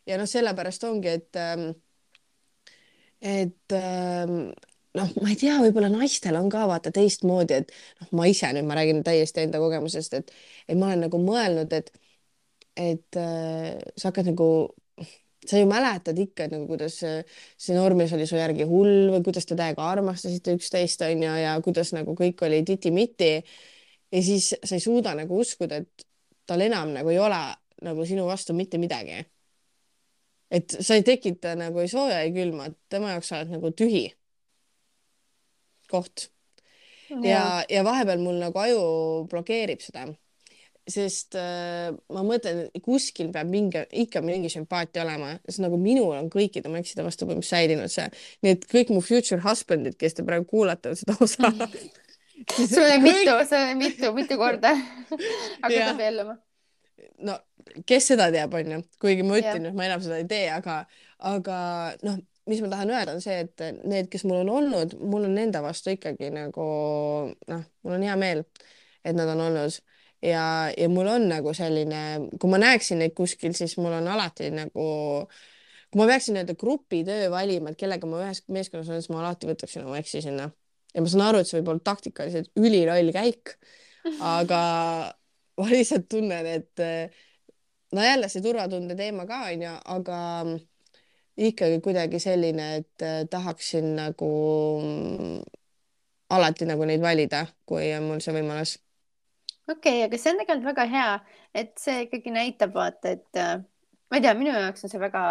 ja noh, sellepärast ongi, et noh, ma ei tea, võib-olla naistel on ka vaata teistmoodi, et noh, ma ise nüüd, ma räägin täiesti enda kogemusest, et ma olen nagu mõelnud, et sa hakkad nagu, sa ju mäletad ikka nagu, kuidas see noormees oli su järgi hull või kuidas te täiega armastasite üksteist on ju ja kuidas nagu kõik oli titi-miti ja siis sa ei suuda nagu uskuda, et tal enam nagu ei ole nagu sinu vastu mitte midagi. et sa ei tekita nagu ei sooja ei külma, tema jaoks sa oled nagu tühi koht. ja vahepeal mul nagu aju blokeerib seda, sest ma mõtlen, kuskil peab ikka mingi sümpaatia olema, sest nagu minul on kõikide mu ekside vastu põhimõtteliselt säilinud see, nii et kõik mu future husband'id, kes te praegu kuulate seda osa
sul oli mitu korda hakata abielluma.
no kes seda teab, on ju, kuigi ma ütlen, et ma enam seda ei tee, aga noh, mis ma tahan öelda on see, et need, kes mul on olnud, mul on nende vastu ikkagi nagu noh, mul on hea meel, et nad on olnud ja mul on nagu selline, kui ma näeksin neid kuskil, siis mul on alati nagu, kui ma peaksin nii-öelda grupitöö valima, et kellega ma ühes meeskonnas olen, siis ma alati võtaksin oma eksi sinna ja ma saan aru, et see võib olla taktikaliselt üliloll käik, aga ma lihtsalt tunnen, et no jälle see turvatunde teema ka on ju, aga ikkagi kuidagi selline, et tahaksin nagu alati nagu neid valida, kui on mul see võimalus.
okei, aga see on tegelikult väga hea, et see ikkagi näitab vaata, et ma ei tea, minu jaoks on see väga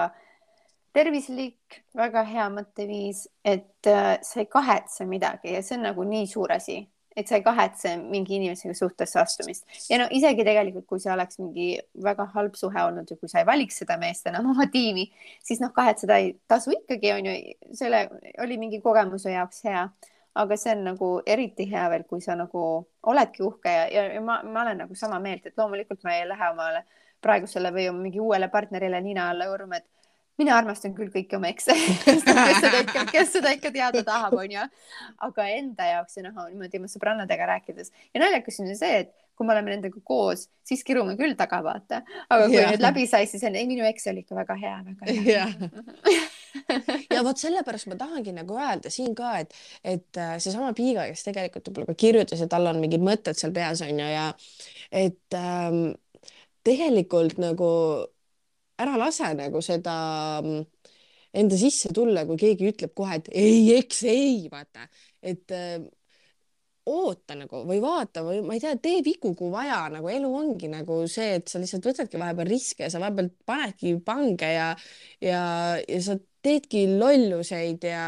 tervislik, väga hea mõtteviis, et sa ei kahetse midagi ja see on nagu nii suur asi, et sa ei kahetse mingi inimesega suhtesse astumist. Ja no isegi tegelikult, kui see oleks mingi väga halb suhe olnud ja kui sa ei valiks seda meest enam oma tiimi, siis noh, kahetseda ei tasu ikkagi on ju, selle oli mingi kogemuse jaoks hea, aga see on nagu eriti hea veel, kui sa nagu oledki uhke ja ma olen nagu sama meelt, et loomulikult ma ei lähe omale praegusele või mingi uuele partnerile nina alla õurma, et mina armastan küll kõiki oma ekse, kes seda ikka teada tahab, on ju. Aga enda jaoks ja noh, niimoodi oma sõbrannadega rääkides. Ja naljakas on see, et kui me oleme nendega koos, siis kirume küll taga, vaata. Aga kui nüüd läbi sai, siis on, ei, minu eks oli ikka väga hea, väga hea.
ja vot sellepärast ma tahangi nagu öelda siin ka, et seesama Piiga, kes tegelikult võib-olla ka kirjutas, et tal on mingid mõtted seal peas on ju ja et tegelikult nagu ära lase nagu seda enda sisse tulla, kui keegi ütleb kohe, et ei, eks ei, vaata, et oota nagu või vaata või ma ei tea, tee vigu, kui vaja, nagu elu ongi nagu see, et sa lihtsalt võtadki vahepeal riske ja sa vahepeal panedki pange ja sa teedki lolluseid ja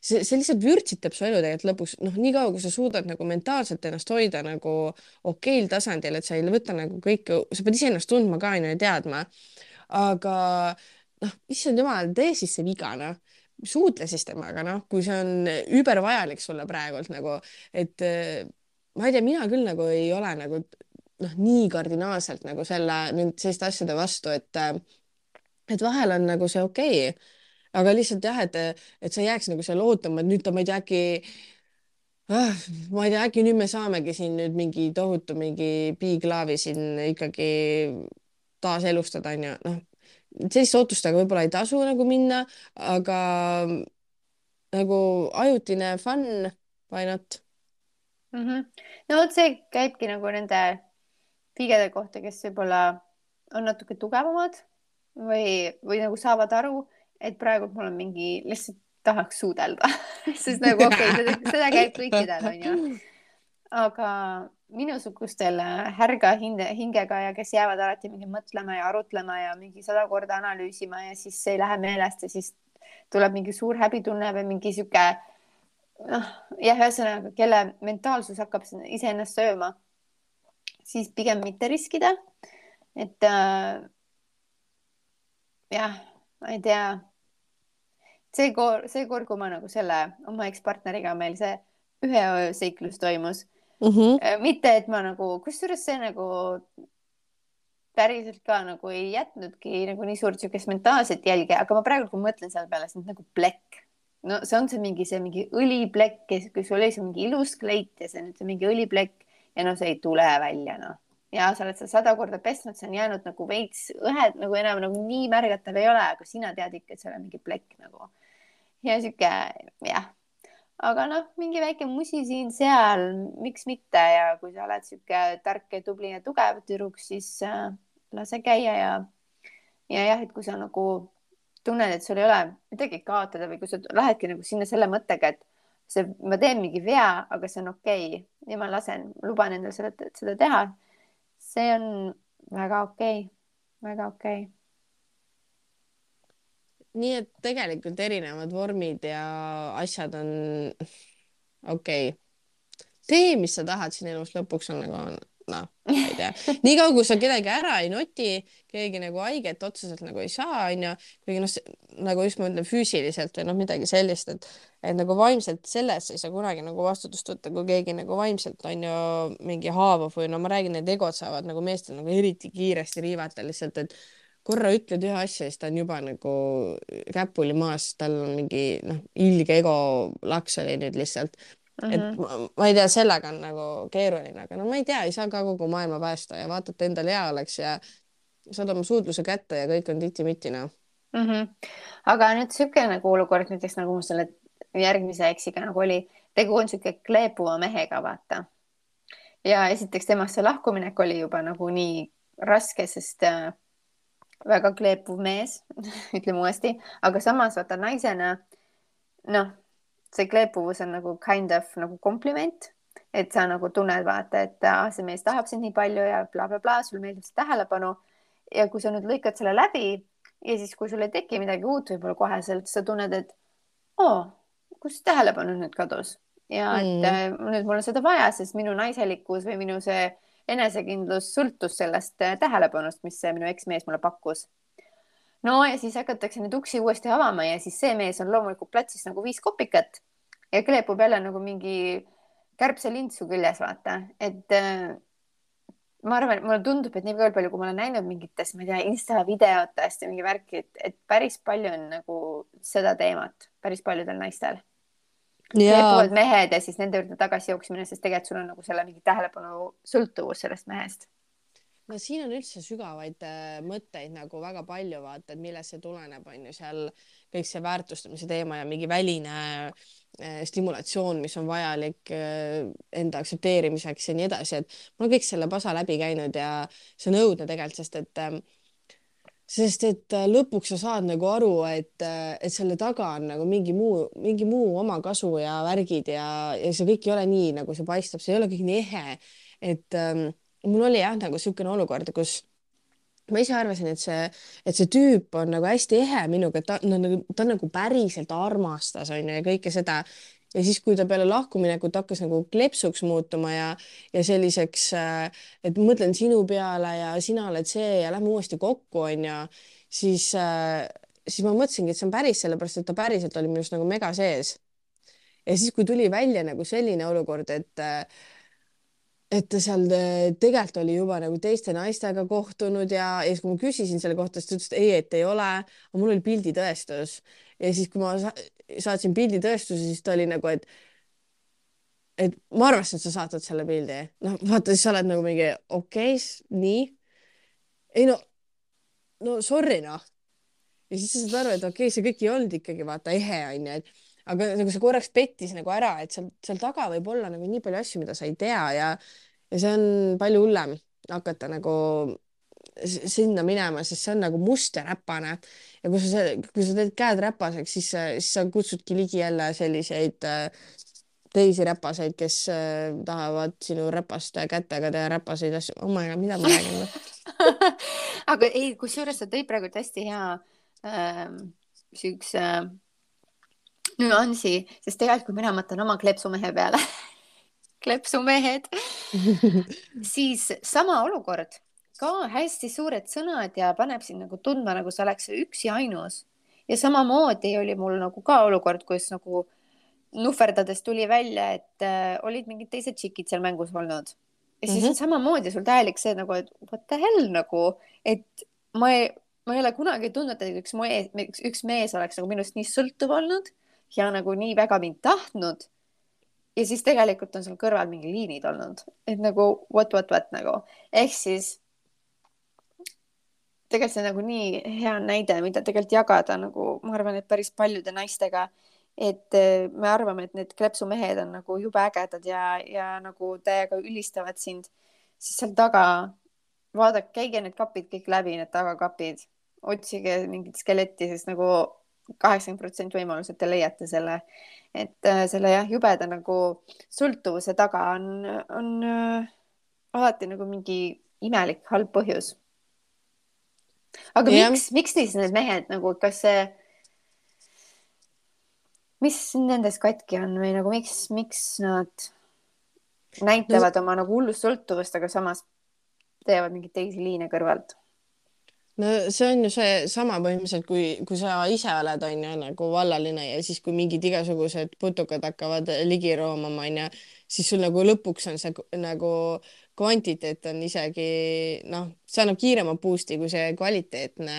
see lihtsalt vürtsitab su elu tegelikult lõpuks, noh, nii kaua, kui sa suudad nagu mentaalselt ennast hoida nagu okeil tasandil, et sa ei võta nagu kõike, sa pead iseennast tundma ka onju ja teadma, aga noh, issand jumal, tee siis see viga, noh, suutle siis temaga, noh, kui see on übervajalik sulle praegult nagu, et ma ei tea, mina küll nagu ei ole nagu noh, nii kardinaalselt nagu selliste asjade vastu, et vahel on nagu see okei. Aga lihtsalt jah, et sa ei jääks nagu seal ootama, et nüüd ta, ma ei tea, ma ei tea, äkki nüüd me saamegi siin nüüd mingi tohutu mingi piiklaavi siin ikkagi taaselustada, onju. Noh, selliste ootustega võib-olla ei tasu nagu minna, aga nagu ajutine fun, why not?
No vot see käibki nagu nende pigede kohta, kes võib-olla on natuke tugevamad või nagu saavad aru, et praegu mul on mingi, lihtsalt tahaks suudelda sest nagu okei, seda käib kõikidel onju, aga minusugustel härga hingega ja kes jäävad alati mingi mõtlema ja arutlema ja mingi 100 korda analüüsima ja siis see ei lähe meelest ja siis tuleb mingi suur häbitunne või mingi sihuke noh, jah, ühesõnaga, kelle mentaalsus hakkab iseennast sööma, siis pigem mitte riskida. et jah, ma ei tea. seekord, kui ma nagu selle oma ekspartneriga meil see ühe öö seiklus toimus mitte, et ma nagu, kusjuures see nagu päriselt ka nagu ei jätnudki nagu nii suurt siukest mentaalset jälge, aga ma praegu, kui mõtlen selle peale, see on nagu plekk. No see on see mingi õliplekk, kui sul oli see mingi ilus kleit ja see on nüüd see mingi õliplekk ja no see ei tule välja, noh. Ja sa oled seda 100 korda pesnud, see on jäänud nagu veits õhed, nagu enam nagu nii märgatav ei ole, aga sina tead ikka, et seal on mingi plekk nagu. Ja sihuke, jah. Aga noh, mingi väike musi siin-seal, miks mitte, ja kui sa oled sihuke tark ja tubli ja tugev tüdruk, siis lase käia ja jah, et kui sa nagu tunned, et sul ei ole midagi kaotada või kui sa lähedki nagu sinna selle mõttega, et ma teen mingi vea, aga see on okei ja ma luban endale seda teha. See on väga okei, väga okei.
Nii et tegelikult erinevad vormid ja asjad on okei. Tee, mis sa tahad siin elus, lõpuks on nagu, noh, ma ei tea. Nii kaua, kui sa kedagi ära ei noti, keegi nagu haiget otseselt nagu ei saa, onju. Kuigi noh, nagu just ma ütlen füüsiliselt või noh, midagi sellist, et nagu vaimselt selles ei saa kunagi nagu vastutust võtta, kui keegi nagu vaimselt on ju mingi haavav või no ma räägin, need egod saavad nagu meestel nagu eriti kiiresti riivata lihtsalt, et korra ütled ühe asja, siis ta on juba nagu käpuli maas, tal on mingi noh, ilge ego laks oli nüüd lihtsalt. Et ma ei tea, sellega on nagu keeruline, aga no ma ei tea, ei saa ka kogu maailma päästa ja vaata, et endal hea oleks ja saad oma suudluse kätte ja kõik on titi-miti, noh.
Aga nüüd siuke nagu olukord näiteks nagu selle järgmise eksiga nagu oli, tegu on siuke kleepuva mehega, vaata. Ja esiteks temast see lahkuminek oli juba nagu nii raske, sest väga kleepuv mees ütleme uuesti, aga samas vaata naisena, noh, see kleepuvus on nagu kind of nagu kompliment, et sa nagu tunned, vaata, et see mees tahab sind nii palju ja blablabla, sul meeldib see tähelepanu. Ja kui sa nüüd lõikad selle läbi ja siis, kui sul ei teki midagi uut võib-olla koheselt, sa tunned, et kus tähelepanu nüüd kadus ja et nüüd mul on seda vaja, sest minu naiselikkus või minu see enesekindlus sõltus sellest tähelepanust, mis see minu eksmees mulle pakkus. No ja siis hakatakse neid uksi uuesti avama ja siis see mees on loomulikult platsis nagu 5 kopikat ja kleepub jälle nagu mingi kärbselind su küljes, vaata. Et ma arvan, mulle tundub, et nii palju, kui ma olen näinud mingitest, ma ei tea, Insta videotest ja mingi värki, et päris palju on nagu seda teemat päris paljudel naistel. Kleepuvad mehed ja siis nende juurde tagasi jooksmine, sest tegelikult sul on nagu selle mingi tähelepanu sõltuvus sellest mehest.
No siin on üldse sügavaid mõtteid nagu väga palju, vaata, et millest see tuleneb, on ju seal kõik see väärtustamise teema ja mingi väline stimulatsioon, mis on vajalik enda aktsepteerimiseks ja nii edasi, et ma olen kõik selle pasa läbi käinud ja see on õudne tegelikult, sest et lõpuks sa saad nagu aru, et selle taga on nagu mingi muu omakasu ja värgid ja see kõik ei ole nii, nagu see paistab, see ei ole kõik nii ehe, et mul oli jah nagu niisugune olukord, kus ma ise arvasin, et see tüüp on nagu hästi ehe minuga, et ta on nagu päriselt armastas, onju, ja kõike seda. ja siis, kui ta peale lahkuminekut hakkas nagu klepsuks muutuma ja selliseks, et mõtlen sinu peale ja sina oled see ja lähme uuesti kokku, onju, siis, siis ma mõtlesingi, et see on päris, sellepärast et ta päriselt oli minust nagu mega sees. ja siis, kui tuli välja nagu selline olukord, et ta seal tegelikult oli juba nagu teiste naistega kohtunud ja siis, kui ma küsisin selle kohta, siis ta ütles, et ei, et ei ole, aga mul oli pilditõestus. ja siis, kui ma saatsin pilditõestuse, siis ta oli nagu, et ma arvasin, et sa saatad selle pildi. noh, vaata, siis sa oled nagu mingi okei, nii. ei no sorry noh. ja siis sa saad aru, et okei, see kõik ei olnud ikkagi vaata ehe onju, et aga nagu see korraks pettis nagu ära, et seal taga võib olla nagu nii palju asju, mida sa ei tea ja see on palju hullem hakata nagu sinna minema, sest see on nagu must ja räpane ja kui sa teed käed räpaseks, siis sa kutsudki ligi jälle selliseid teisi räpaseid, kes tahavad sinu räpast kätega teha räpaseid asju. oh my god, mida ma räägin või?
aga ei, kusjuures sa tõid praegu hästi hea siukse nüansi, sest tegelikult, kui mina mõtlen oma kleepsumehe peale kleepsumehed, siis sama olukord, ka hästi suured sõnad ja paneb sind nagu tundma, nagu sa oleks üks ja ainus. ja samamoodi oli mul nagu ka olukord, kus nagu nuhverdades tuli välja, et olid mingid teised tšikid seal mängus olnud. ja siis on samamoodi sul täielik see nagu, et what the hell nagu, et ma ei ole kunagi tundnud, et üks mees oleks nagu minust nii sõltuv olnud ja nagu nii väga mind tahtnud. ja siis tegelikult on seal kõrval mingi liinid olnud, et nagu what nagu. ehk siis tegelikult see on nagu nii hea näide, mida tegelikult jagada nagu ma arvan, et päris paljude naistega, et me arvame, et need kleepsumehed on nagu jube ägedad ja nagu täiega ülistavad sind, siis seal taga vaadake, käige need kapid kõik läbi, need tagakapid, otsige mingit skeletti, sest nagu 80% võimalus, et te leiate selle, et selle jah, jubeda nagu sõltuvuse taga on alati nagu mingi imelik halb põhjus. aga
jah,
miks siis need mehed nagu, kas see, mis nendes katki on või nagu miks nad
no,
näitavad oma nagu hullust sõltuvust, aga samas teevad mingeid teisi liine kõrvalt?
no see on ju seesama põhimõtteliselt, kui sa ise oled, on ju, nagu vallaline ja siis, kui mingid igasugused putukad hakkavad ligi roomama, on ju, siis sul nagu lõpuks on see nagu kvantiteet on isegi noh, see annab kiirema boost'i kui see kvaliteetne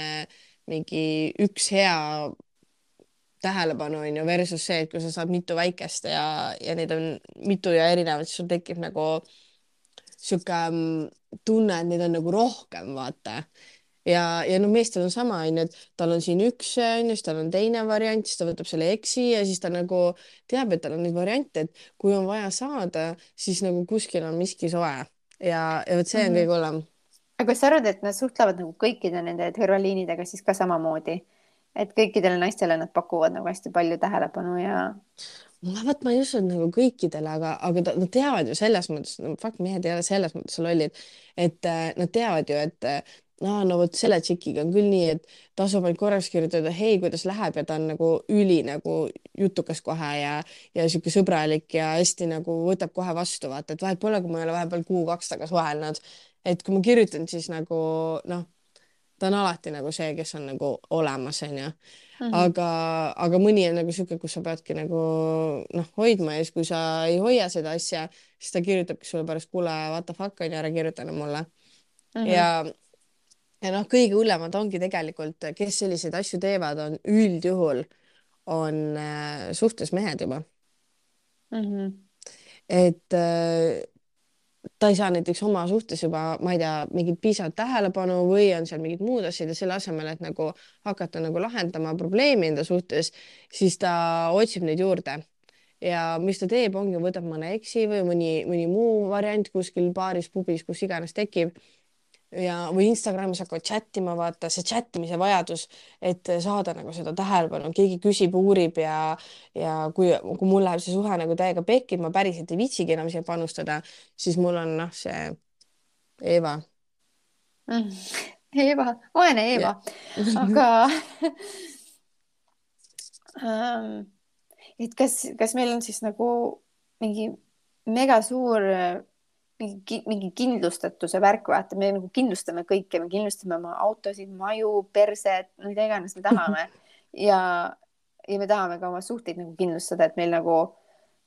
mingi üks hea tähelepanu, on ju, versus see, et kui sa saad mitu väikest ja neid on mitu ja erinevat, siis sul tekib nagu sihuke tunne, et neid on nagu rohkem, vaata. ja no meestel on sama, onju, et tal on siin üks, onju, siis tal on teine variant, siis ta võtab selle eksi ja siis ta nagu teab, et tal on neid variante, et kui on vaja saada, siis nagu kuskil on miski soe ja vot see on kõige hullem.
aga kas sa arvad, et nad suhtlevad nagu kõikide nende kõrvalliinidega siis ka samamoodi, et kõikidele naistele nad pakuvad nagu hästi palju tähelepanu ja
vot ma ei usu, et nagu kõikidele, aga nad teavad ju selles mõttes, no fuck, mehed ei ole selles mõttes lollid, et nad teavad ju, et no vot selle tšikiga on küll nii, et tasub ainult korraks kirjutada, hei, kuidas läheb ja ta on nagu üli nagu jutukas kohe ja sihuke sõbralik ja hästi nagu võtab kohe vastu, vaata, et vahet pole, kui ma ei ole vahepeal kuu-kaks tagasi suhelnud, et kui ma kirjutan, siis nagu noh, ta on alati nagu see, kes on nagu olemas, onju. aga mõni on nagu sihuke, kus sa peadki nagu noh, hoidma ja siis, kui sa ei hoia seda asja, siis ta kirjutabki sulle pärast, kuule, what the fuck on ju, ära kirjuta enam mulle. ja noh, kõige hullemad ongi tegelikult, kes selliseid asju teevad, on üldjuhul on suhtes mehed juba. et ta ei saa näiteks oma suhtes juba, ma ei tea, mingit piisavat tähelepanu või on seal mingid muud asjad ja selle asemel, et nagu hakata nagu lahendama probleemi enda suhtes, siis ta otsib neid juurde. ja mis ta teeb, ongi, võtab mõne eksi või mõni muu variant kuskil baaris, pubis, kus iganes tekib või Instagramis hakkavad chat ima, vaata see chat imise vajadus, et saada nagu seda tähelepanu, keegi küsib, uurib ja kui mul läheb see suhe nagu täiega pekki, ma päriselt ei viitsigi enam siia panustada, siis mul on noh, see Eeva.
Eeva, vaene
ja.
Eeva, aga ähm, et kas meil on siis nagu mingi mega suur mingi kindlustatuse värk, vaata, me nagu kindlustame kõike, me kindlustame oma autosid, maju, perset, mida iganes me tahame ja me tahame ka oma suhteid nagu kindlustada, et meil nagu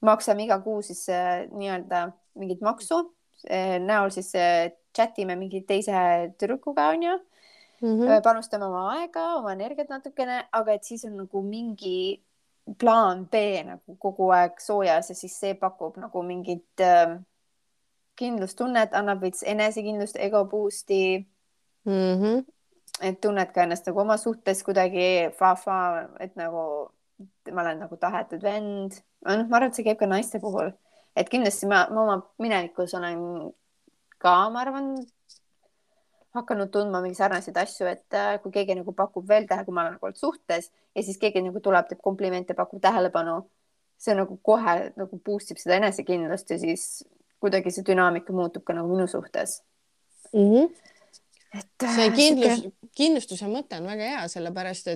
maksame iga kuu siis nii-öelda mingit maksu näol siis chat ime mingi teise tüdrukuga onju,
Mhm.
panustame oma aega, oma energiat natukene, aga et siis on nagu mingi plaan B nagu kogu aeg soojas ja siis see pakub nagu mingit kindlustunnet, annab veits enesekindlust, ego boost'i,
Mhm.
et tunned ka ennast nagu oma suhtes kuidagi fa-fa, et nagu ma olen nagu tahetud vend. noh, ma arvan, et see käib ka naiste puhul, et kindlasti ma oma minevikus olen ka, ma arvan, hakanud tundma mingi sarnaseid asju, et kui keegi nagu pakub veel kui ma olen nagu olnud suhtes ja siis keegi nagu tuleb, teeb komplimente, pakub tähelepanu, see nagu kohe nagu boost ib seda enesekindlust ja siis kuidagi see dünaamika muutub ka nagu minu suhtes.
Mhm.
et
see
sihuke.
kindlustuse mõte on väga hea, sellepärast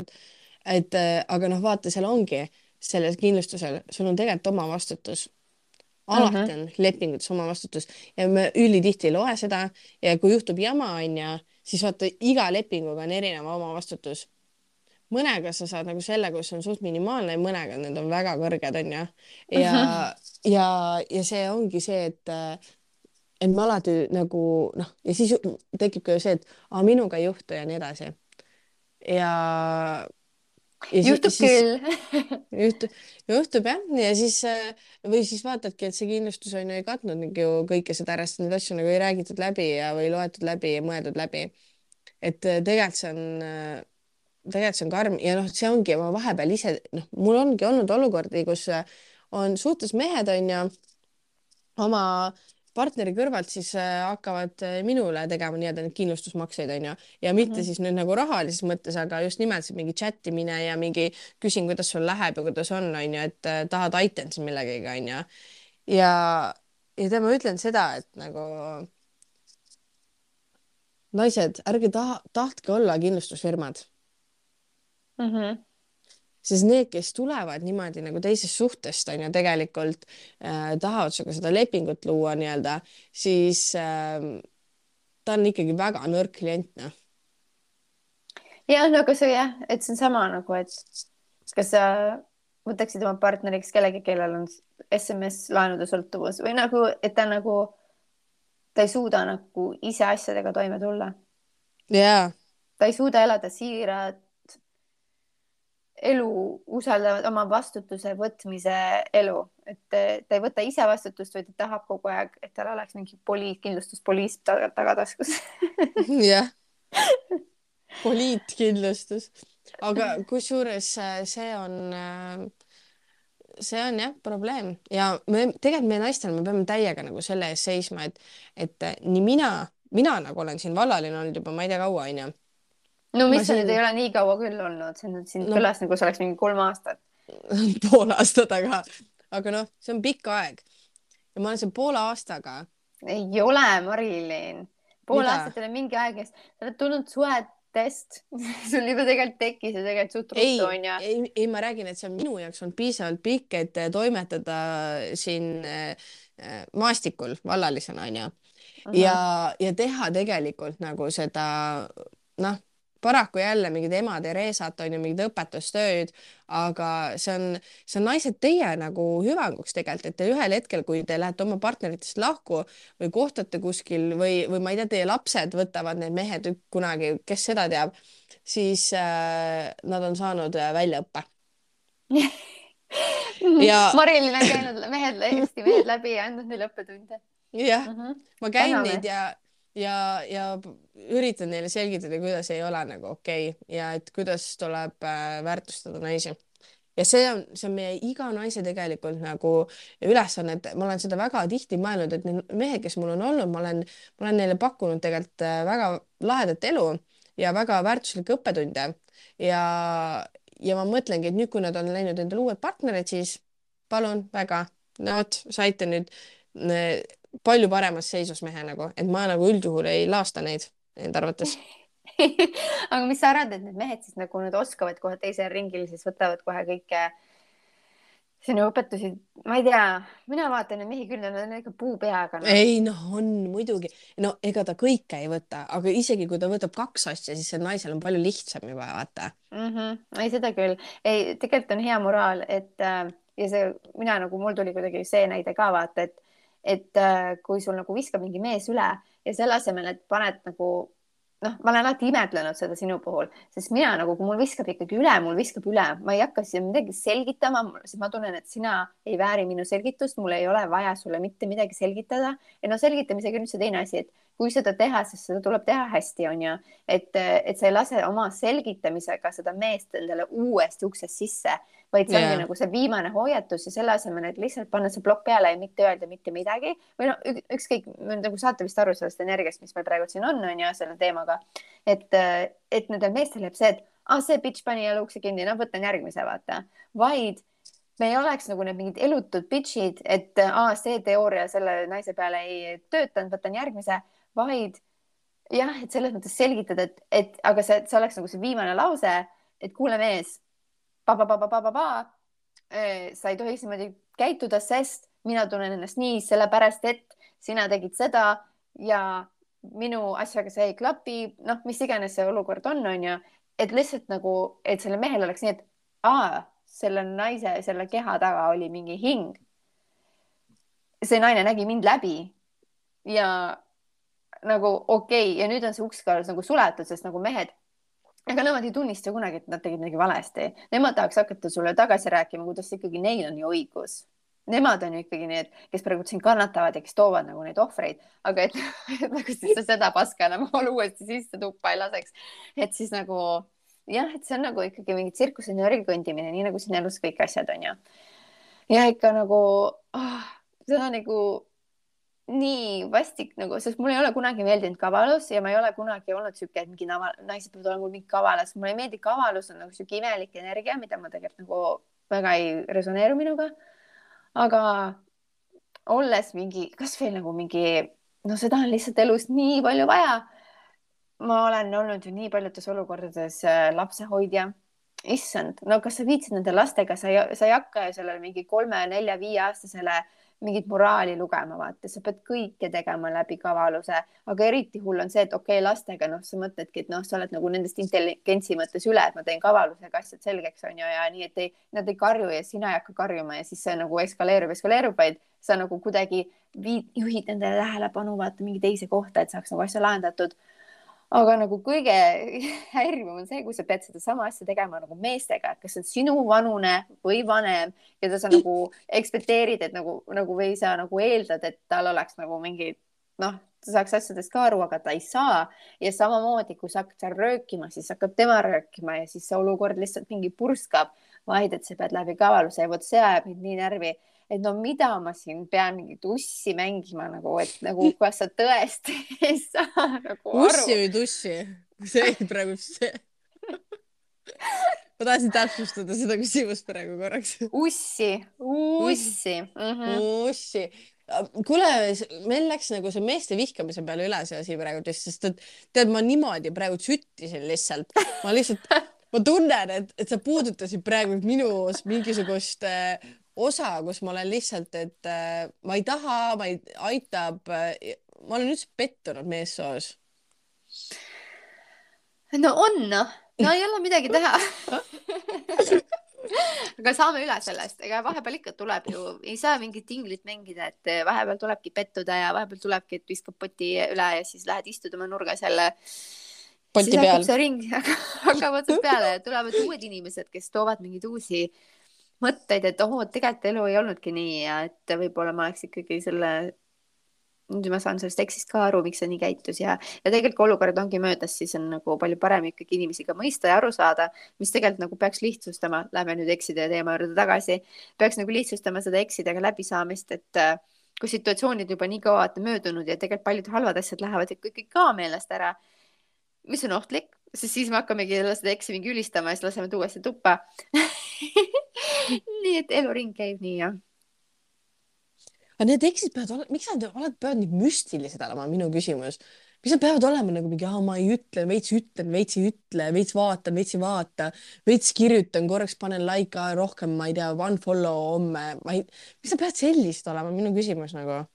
et aga noh, vaata, seal ongi sellel kindlustusel, sul on tegelikult oma vastutus. Alati
Mhm.
on lepingutes oma vastutus ja me ülitihti ei loe seda ja kui juhtub jama, onju, siis vaata, iga lepinguga on erinev oma vastutus. Mõnega sa saad nagu selle, kus on suht minimaalne ja mõnega need on väga kõrged, onju. ja, ja, ja see ongi see, et me alati nagu noh, ja siis tekib ka ju see, et minuga ei juhtu ja nii edasi. ja, ja
juhtub
siis
küll.
juhtub jah, ja siis või siis vaatadki, et see kindlustus on ju ei katnud nagu ju kõike seda ära, sest neid asju nagu ei räägitud läbi ja või loetud läbi ja mõeldud läbi. et tegelikult see on karm ja noh, see ongi, ma vahepeal ise noh, mul ongi olnud olukordi, kus on suhtes mehed onju oma partneri kõrvalt siis hakkavad minule tegema nii-öelda neid kindlustusmakseid onju ja mitte
Mhm.
siis nüüd nagu rahalises mõttes, aga just nimelt see mingi chat imine ja mingi küsin, kuidas sul läheb ja kuidas on onju, et tahad aitan siis millegagi onju. ja, ja tead, ma ütlen seda, et nagu naised, ärge tahtke olla kindlustusfirmad,
Mhm.
sest need, kes tulevad niimoodi nagu teisest suhtest on ju tegelikult tahavad sinuga seda lepingut luua nii-öelda, siis ta on ikkagi väga nõrk klient, noh.
ja no aga see jah, et see on sama nagu, et kas sa võtaksid oma partneriks kellegi, kellel on SMS laenude sõltuvus või nagu, et ta nagu, ta ei suuda nagu ise asjadega toime tulla.
jaa.
Ta ei suuda elada siirat elu, usaldavad oma vastutuse võtmise elu, et ta ei võta ise vastutust, vaid ta tahab kogu aeg, et tal oleks mingi kindlustuspoliis tagataskus.
jah, poliitkindlustus, aga kusjuures see on jah probleem ja me tegelikult meie naistena me peame täiega nagu selle eest seisma, et nii mina nagu olen siin vallaline olnud juba ma ei tea kaua onju.
no
ma
mis sa nüüd
siin
ei ole nii kaua küll olnud, see nüüd siin
no
kõlas nagu see oleks mingi 3 aastat.
pool aastat, aga noh, see on pikk aeg ja ma olen siin poole aastaga.
ei ole, Marilyn. Pool
mida?
aastat ei ole mingi aeg, sa oled tulnud suhetest sul juba tegelikult tekkis ja tegelikult suht ruttu onju.
ei, ma räägin, et see on minu jaoks olnud piisavalt pikk, et toimetada siin maastikul vallalisena onju ja teha tegelikult nagu seda noh, paraku jälle mingid ema Theresat on ju mingid õpetustööd, aga see on naised teie nagu hüvanguks tegelikult, et te ühel hetkel, kui te lähete oma partneritest lahku või kohtate kuskil või ma ei tea, teie lapsed võtavad need mehed kunagi, kes seda teab, siis nad on saanud väljaõppe ja
Marilyn on käinud Eesti mehed läbi ja andnud neile õppetunde.
jah, ma käin
täname.
neid ja üritan neile selgitada, kuidas ei ole nagu okei ja et kuidas tuleb väärtustada naisi. ja see on meie iga naise tegelikult nagu ülesanne, et ma olen seda väga tihti mõelnud, et need mehed, kes mul on olnud, ma olen neile pakkunud tegelikult väga lahedat elu ja väga väärtuslikke õppetunde ja ma mõtlengi, et nüüd, kui nad on läinud endale uued partnerid, siis palun väga, no vot, saite nüüd palju paremas seisus mehe nagu, et ma nagu üldjuhul ei laasta neid enda arvates.
aga mis sa arvad, et need mehed siis nagu nüüd oskavad kohe teisel ringil, siis võtavad kohe kõike sinu õpetusi, ma ei tea, mina vaatan neid mehi küll, nad on ikka puu peaga, noh.
ei noh, on muidugi, no ega ta kõike ei võta, aga isegi kui ta võtab 2 asja, siis see naisel on palju lihtsam juba vaata.
Ei, seda küll. Ei, tegelikult on hea moraal, et ja see, mina nagu, mul tuli kuidagi see näide ka vaata, et kui sul nagu viskab mingi mees üle ja selle asemel, et paned nagu noh, ma olen alati imetlenud seda sinu puhul, sest mina nagu, kui mul viskab ikkagi üle, mul viskab üle, ma ei hakka siia midagi selgitama, sest ma tunnen, et sina ei vääri minu selgitust, mul ei ole vaja sulle mitte midagi selgitada. Ja no selgitamisega on üldse teine asi, et kui seda teha, siis seda tuleb teha hästi, on ju, et sa ei lase oma selgitamisega seda meest endale uuesti uksest sisse, vaid see ongi nagu see viimane hoiatus ja selle asemel, et lihtsalt panna see plokk peale ja mitte öelda mitte midagi või no ükskõik, nagu saate vist aru sellest energiast, mis meil praegu siin on ju selle teemaga, et nendel meestel jääb see, et see bitch pani jälle ukse kinni, no võtan järgmise, vaata, vaid me ei oleks nagu need mingid elutud bitchid, et see teooria selle naise peale ei töötanud, võtan järgmise, vaid jah, et selles mõttes selgitada, et aga see oleks nagu see viimane lause, et kuule mees, sa ei tohiks niimoodi käituda, sest mina tunnen ennast nii, sellepärast et sina tegid seda ja minu asjaga see ei klapi, noh, mis iganes see olukord on ju, et lihtsalt nagu, et selle mehel oleks nii, et selle naise, selle keha taga oli mingi hing. See naine nägi mind läbi ja nagu okei, ja nüüd on see uks ka nagu suletud, sest nagu mehed, ega nemad ei tunnista kunagi, et nad tegid midagi valesti. Nemad tahaks hakata sulle tagasi rääkima, kuidas ikkagi neil on ju õigus. Nemad on ju ikkagi need, kes praegu siin kannatavad ja kes toovad nagu neid ohvreid, aga et nagu siis seda paska enam uuesti sisse tuppa ei laseks. Et siis nagu jah, et see on nagu ikkagi mingi tsirkuse nörgi kõndimine, nii nagu siin elus kõik asjad on ju. Ja ikka nagu see on nagu nii vastik nagu, sest mul ei ole kunagi meeldinud kavalus ja ma ei ole kunagi olnud siuke, et mingi naised peavad olema mingi kavalas. Mulle ei meeldi kavalus, on nagu siuke imelik energia, mida ma tegelikult nagu väga ei resoneeru minuga. Aga olles mingi, kas veel nagu mingi, no seda on lihtsalt elus nii palju vaja. Ma olen olnud ju nii paljudes olukordades lapsehoidja. Issand, no kas sa viitsid nende lastega, sa ei hakka ju sellele mingi 3, 4, 5 aastasele mingit moraali lugema, vaata, sa pead kõike tegema läbi kavaluse, aga eriti hull on see, et okei, lastega, noh, sa mõtledki, et noh, sa oled nagu nendest intelligentsi mõttes üle, et ma teen kavalusega asjad selgeks, on ju, ja nii, et nad ei karju ja sina ei hakka karjuma ja siis see nagu eskaleerub, vaid sa nagu kuidagi juhid nendele tähelepanu, vaata mingi teise kohta, et saaks nagu asja lahendatud. Aga nagu kõige häirivam on see, kui sa pead seda sama asja tegema nagu meestega, kas on sinu vanune või vanem, keda sa nagu ekspekteerid, et nagu või sa nagu eeldad, et tal oleks nagu mingi, noh, ta saaks asjadest ka aru, aga ta ei saa. Ja samamoodi, kui sa hakkad seal röökima, siis hakkab tema röökima ja siis see olukord lihtsalt mingi purskab, vaid et sa pead läbi kavaluse ja vot see ajab mind nii närvi. Et no mida ma siin pean mingit ussi mängima nagu, et nagu kas sa tõesti ei saa nagu aru.
Ussi või tussi? See ei praegu see. Ma tahtsin täpsustada seda küsimust praegu korraks.
Ussi.
Ussi. Kuule, meil läks nagu see meeste vihkamise peale üle see asi praegu, sest et tead, ma niimoodi praegu süttisin lihtsalt. Ma tunnen, et sa puudutasid praegu minus mingisugust osa, kus ma olen lihtsalt, et ma ei taha, ma ei aitab. Ma olen üldse pettunud meessoos.
No on, noh. No ei ole midagi teha. Aga saame üle sellest. Ega vahepeal ikka tuleb ju, ei saa mingit tinglit mängida, et vahepeal tulebki pettuda ja vahepeal tulebki, et viskab poti üle ja siis lähed istud oma nurgas jälle.
Poti
siis
peal.
hakkab see ring, hakkab otsast peale ja tulevad uued inimesed, kes toovad mingeid uusi mõtteid, et tegelikult elu ei olnudki nii ja et võib-olla ma oleks ikkagi nüüd ma saan sellest tekstist ka aru, miks see nii käitus ja tegelikult olukord ongi möödas, siis on nagu palju parem ikkagi inimesi ka mõista ja aru saada, mis tegelikult nagu peaks lihtsustama, lähme nüüd ekside teema juurde tagasi, peaks nagu lihtsustama seda eksidega läbisaamist, et kui situatsioonid juba nii kaua möödunud ja tegelikult paljud halvad asjad lähevad ikkagi ka meelest ära, mis on ohtlik, siis me hakkamegi seda eksi mingi ülistama ja siis laseme tuuesti tuppa. Nii et eluring käib nii, jah.
Aga need eksid peavad, miks nad peavad nii müstilised olema, minu küsimus. mis nad peavad olema nagu mingi, ma ei ütlen, veits ei ütle, veits vaatan, veits ei vaata, veits kirjutan, korraks panen like, rohkem, ma ei tea, one follow homme, mis sa pead sellist olema, minu küsimus nagu.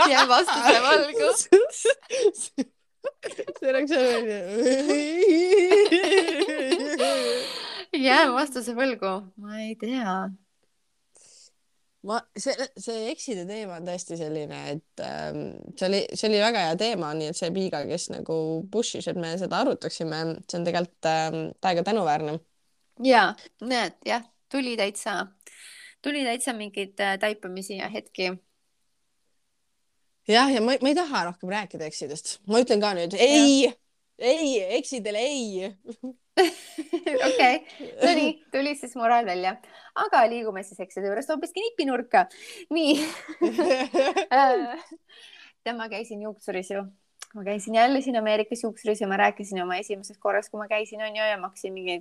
jään vastuse võlgu.
see oleks selline.
jään vastuse võlgu, ma ei tea.
see ekside teema on tõesti selline, et see oli väga hea teema, nii et see Piiga, kes nagu push'is, et me seda arutaksime, see on tegelikult täiega tänuväärne.
ja näed, jah, tuli täitsa mingeid taipamisi ja hetki.
jah, ja ma ei taha rohkem rääkida eksidest, ma ütlen ka nüüd ei, eksidele ei.
okei, no nii, tuli siis moraal välja, aga liigume siis ekside juurest hoopiski nipinurka. nii ma käisin juuksuris ju, ma käisin jälle siin Ameerikas juuksuris ja ma rääkisin oma esimesest korrast, kui ma käisin, on ju, ja maksin mingi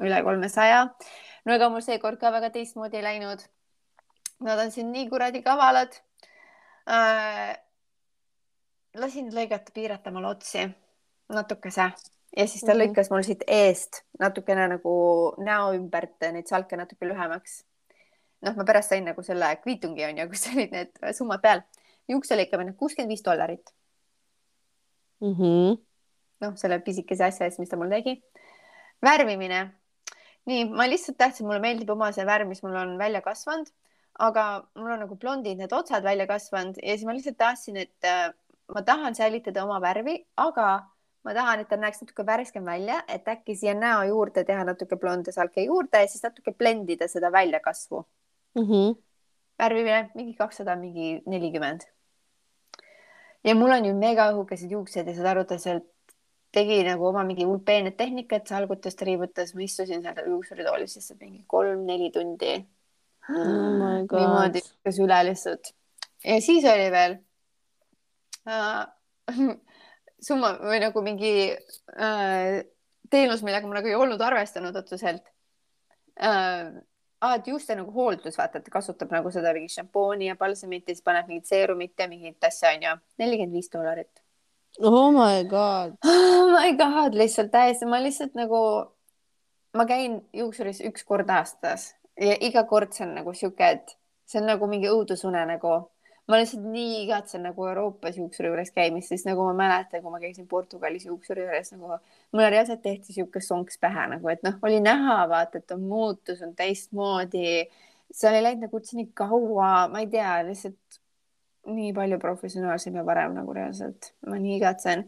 üle 300. no ega mul seekord ka väga teistmoodi ei läinud. Nad on siin nii kuradi kavalad. Lasin lõigata, piirata mul otsi natukese ja siis ta lõikas mul siit eest natukene nagu näo ümbert neid salke natuke lühemaks. noh, ma pärast sain nagu selle kviitungi, on ju, kus olid need summad peal. juukse lõikamine $65. noh, selle pisikese asja eest, mis ta mul tegi. värvimine. nii, ma lihtsalt tahtsin, mulle meeldib oma see värv, mis mul on välja kasvanud, aga mul on nagu blondid need otsad välja kasvanud ja siis ma lihtsalt tahtsin, et ma tahan säilitada oma värvi, aga ma tahan, et ta näeks natuke värskem välja, et äkki siia näo juurde teha natuke blonde salke juurde ja siis natuke blendida seda väljakasvu. värvimine mingi 200, mingi 40. ja mul on ju mega õhukesed juuksed ja saad aru, ta sealt tegi nagu oma mingi peened tehnikat, salgutas, triibutas, ma istusin seal juuksuritoolis lihtsalt mingi 3-4 tundi. niimoodi üle lihtsalt. ja siis oli veel summa või nagu mingi teenus, millega ma nagu ei olnud arvestanud otseselt. Et juuste nagu hooldus, vaata, et kasutab nagu seda mingi šampooni ja balsamit ja siis paneb mingit seerumit ja mingit asja, on ju. $45.
Oh my god.
Oh my god, lihtsalt täiesti, ma lihtsalt nagu, ma käin juuksuris 1 kord aastas ja iga kord see on nagu siuke, et see on nagu mingi õudusune nagu. Ma lihtsalt nii igatsen nagu Euroopas juuksuri juures käimist, siis nagu ma mäletan, kui ma käisin Portugalis juuksuri juures, nagu mulle reaalselt tehti siuke sonks pähe nagu, et noh, oli näha, vaata, et on muutus, on teistmoodi. See oli läinud nagu üldse nii kaua, ma ei tea, lihtsalt nii palju professionaalsem ja parem nagu reaalselt. Ma nii igatsen.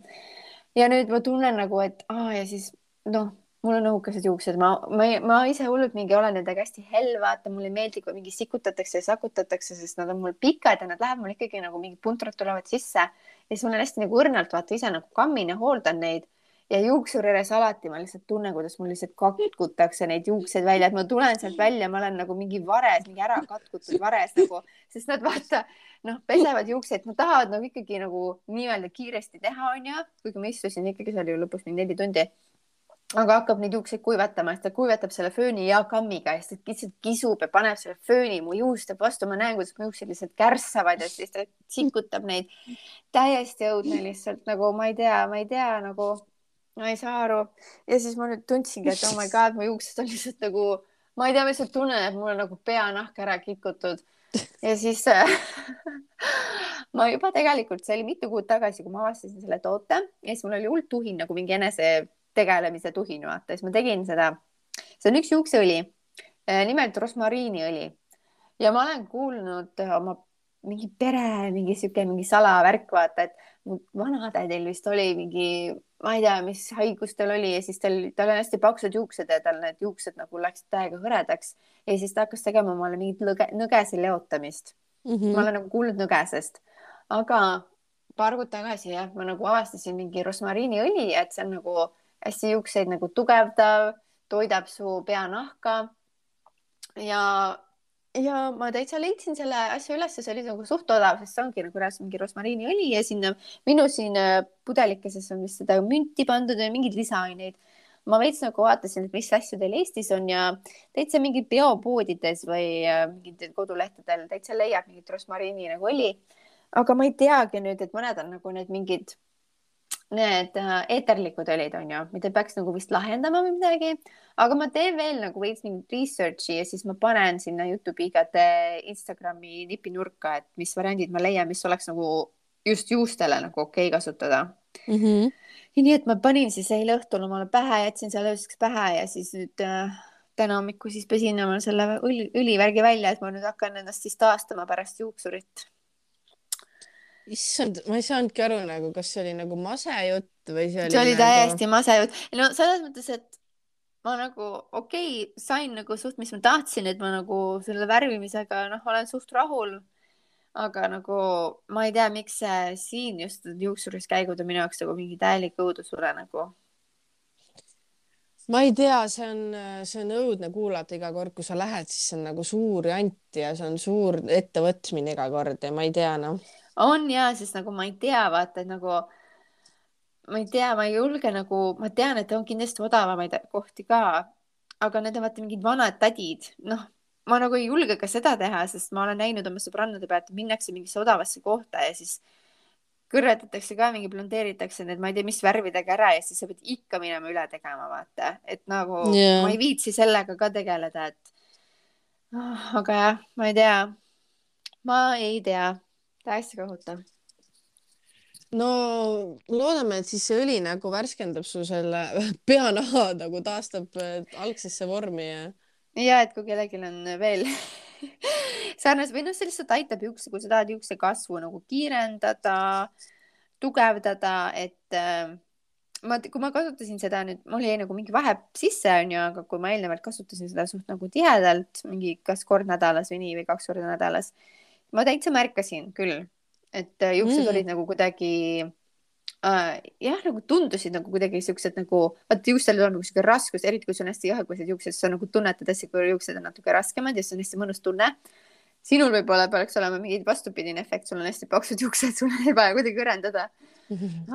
Ja nüüd ma tunnen nagu, et ja siis noh, mul on õhukesed juuksed, ma ise hullult mingi olen nendega hästi hell, vaata, mulle ei meeldi, kui mingi sikutatakse ja sakutatakse, sest nad on mul pikad ja nad lähevad mul ikkagi nagu mingi puntrad tulevad sisse. Ja siis mul on hästi nagu õrnalt, vaata, ise nagu kammin ja hooldan neid. Ja juuksuri juures alati ma lihtsalt tunnen, kuidas mul lihtsalt katkutakse neid juukseid välja, et ma tulen sealt välja, ma olen nagu mingi vares, mingi ära katkutud vares nagu, sest nad vaata, noh, pesevad juukseid, nad tahavad nagu ikkagi nagu nii-öelda kiiresti teha, on ju, kuigi ma istusin ikkagi seal ju lõpus mingi 4 tundi. Aga hakkab neid juukseid kuivatama, siis ta kuivatab selle fööni ja kammiga ja siis lihtsalt kisub ja paneb selle fööni mu juuste vastu. Ma näen, kuidas mu juuksed lihtsalt kärssavad ja siis ta sikutab neid. Täiesti õudne lihtsalt nagu, ma ei tea nagu, ma ei saa aru. Ja siis ma nüüd tundsingi, et oh my god, mu juuksed on lihtsalt nagu, ma ei tea, ma lihtsalt tunnen, et mul on nagu peanahk ära kikutud. Ja siis ma juba tegelikult, see oli mitu kuud tagasi, kui ma avastasin selle toote ja siis mul oli hull tuhin nagu mingi enese tegelemise tuhin, vaata, siis ma tegin seda. See on üks juukseõli, nimelt rosmariiniõli. Ja ma olen kuulnud oma mingi pere, mingi salavärk, vaata, et mu vanatädil vist oli mingi, ma ei tea, mis haigus tal oli ja siis tal on hästi paksud juuksed ja tal need juuksed nagu läksid täiega hõredaks ja siis ta hakkas tegema mulle mingit nõgese leotamist. Ma olen nagu kuulnud nõgesest, aga paar kuud tagasi jah, ma nagu avastasin mingi rosmariiniõli, et see on nagu hästi juukseid nagu tugevdav, toidab su peanahka ja ma täitsa leidsin selle asja üles, see oli nagu suht odav, sest see ongi nagu mingi rosmariiniõli ja sinna minu siin pudelikeses on vist seda münti pandud ja mingeid lisaaineid. ma veits nagu vaatasin, et mis asju teil Eestis on ja täitsa mingid biopoodides või mingitel kodulehtedel täitsa leiab mingit rosmariini nagu õli. aga ma ei teagi nüüd, et mõned on nagu need eeterlikud õlid on ju, mida peaks nagu vist lahendama või midagi, aga ma teen veel nagu veits mingit research'i ja siis ma panen sinna Jutupiigade Instagrami nipinurka, et mis variandid ma leian, mis oleks nagu just juustele nagu okei kasutada. Ja nii et ma panin siis eile õhtul omale pähe, jätsin selle ööseks pähe ja siis nüüd täna hommikul siis pesin omale selle õlivärgi välja, et ma nüüd hakkan ennast siis taastama pärast juuksurit.
Issand, ma ei saanudki aru nagu, kas see oli nagu masejutt või see
oli
nagu...
täiesti masejutt. No selles mõttes, et ma nagu sain nagu suht, mis ma tahtsin, et ma nagu selle värvimisega olen suht rahul. Aga nagu ma ei tea, miks see siin just juuksuris käigud on minu jaoks nagu mingi täielik õudusure nagu.
Ma ei tea, see on õudne kuulata iga kord, kui sa lähed, siis see on nagu suur jant ja see on suur ettevõtmine iga kord ja ma ei tea
On ja, sest nagu ma ei tea, vaata, et nagu ma ei tea, ma ei julge nagu, ma tean, et on kindlasti odavamaid kohti ka, aga need on vaata mingid vanad tädid, ma nagu ei julge ka seda teha, sest ma olen näinud oma sõbrannade pealt, minnakse mingisse odavasse kohta ja siis kõrvetatakse ka, mingi blondeeritakse need, ma ei tea, mis värvidega ära ja siis sa pead ikka minema üle tegema, vaata, et nagu ma ei viitsi sellega ka tegeleda, et aga jah, ma ei tea, täiesti kohutav.
No loodame, et siis see õli nagu värskendab su selle peanaha nagu taastab algsesse vormi
ja et kui kellelgi on veel sarnas või see lihtsalt aitab juukse, kui sa tahad juukse kasvu nagu kiirendada, tugevdada, et kui ma kasutasin seda nüüd, mul jäi nagu mingi vahe sisse onju, aga kui ma eelnevalt kasutasin seda suht nagu tihedalt, mingi kas kord nädalas või nii või 2 korda nädalas, ma täitsa märkasin küll, et juuksed olid nagu kuidagi jah, nagu tundusid nagu kuidagi siuksed nagu, vaata juukstel on nagu siuke raskus, eriti kui sul on hästi jahegused juuksed, sa nagu tunnetad hästi, kui juuksed on natuke raskemad ja see on hästi mõnus tunne. Sinul võib-olla peaks olema mingi vastupidine efekt, sul on hästi paksud juuksed, sul ei vaja kuidagi ürendada.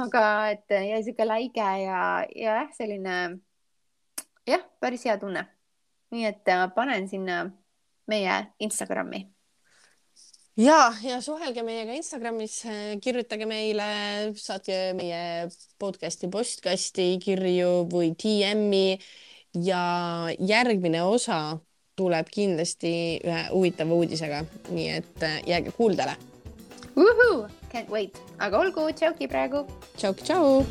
aga et jäi siuke läige ja selline jah, päris hea tunne. Nii et panen sinna meie Instagrami.
Ja suhelge meiega Instagramis, kirjutage meile, saatke meie podcasti postkasti kirju või DM-i ja järgmine osa tuleb kindlasti ühe huvitava uudisega, nii et jääge kuuldele.
Can't wait, aga olgu, tšauki praegu.
Tšau.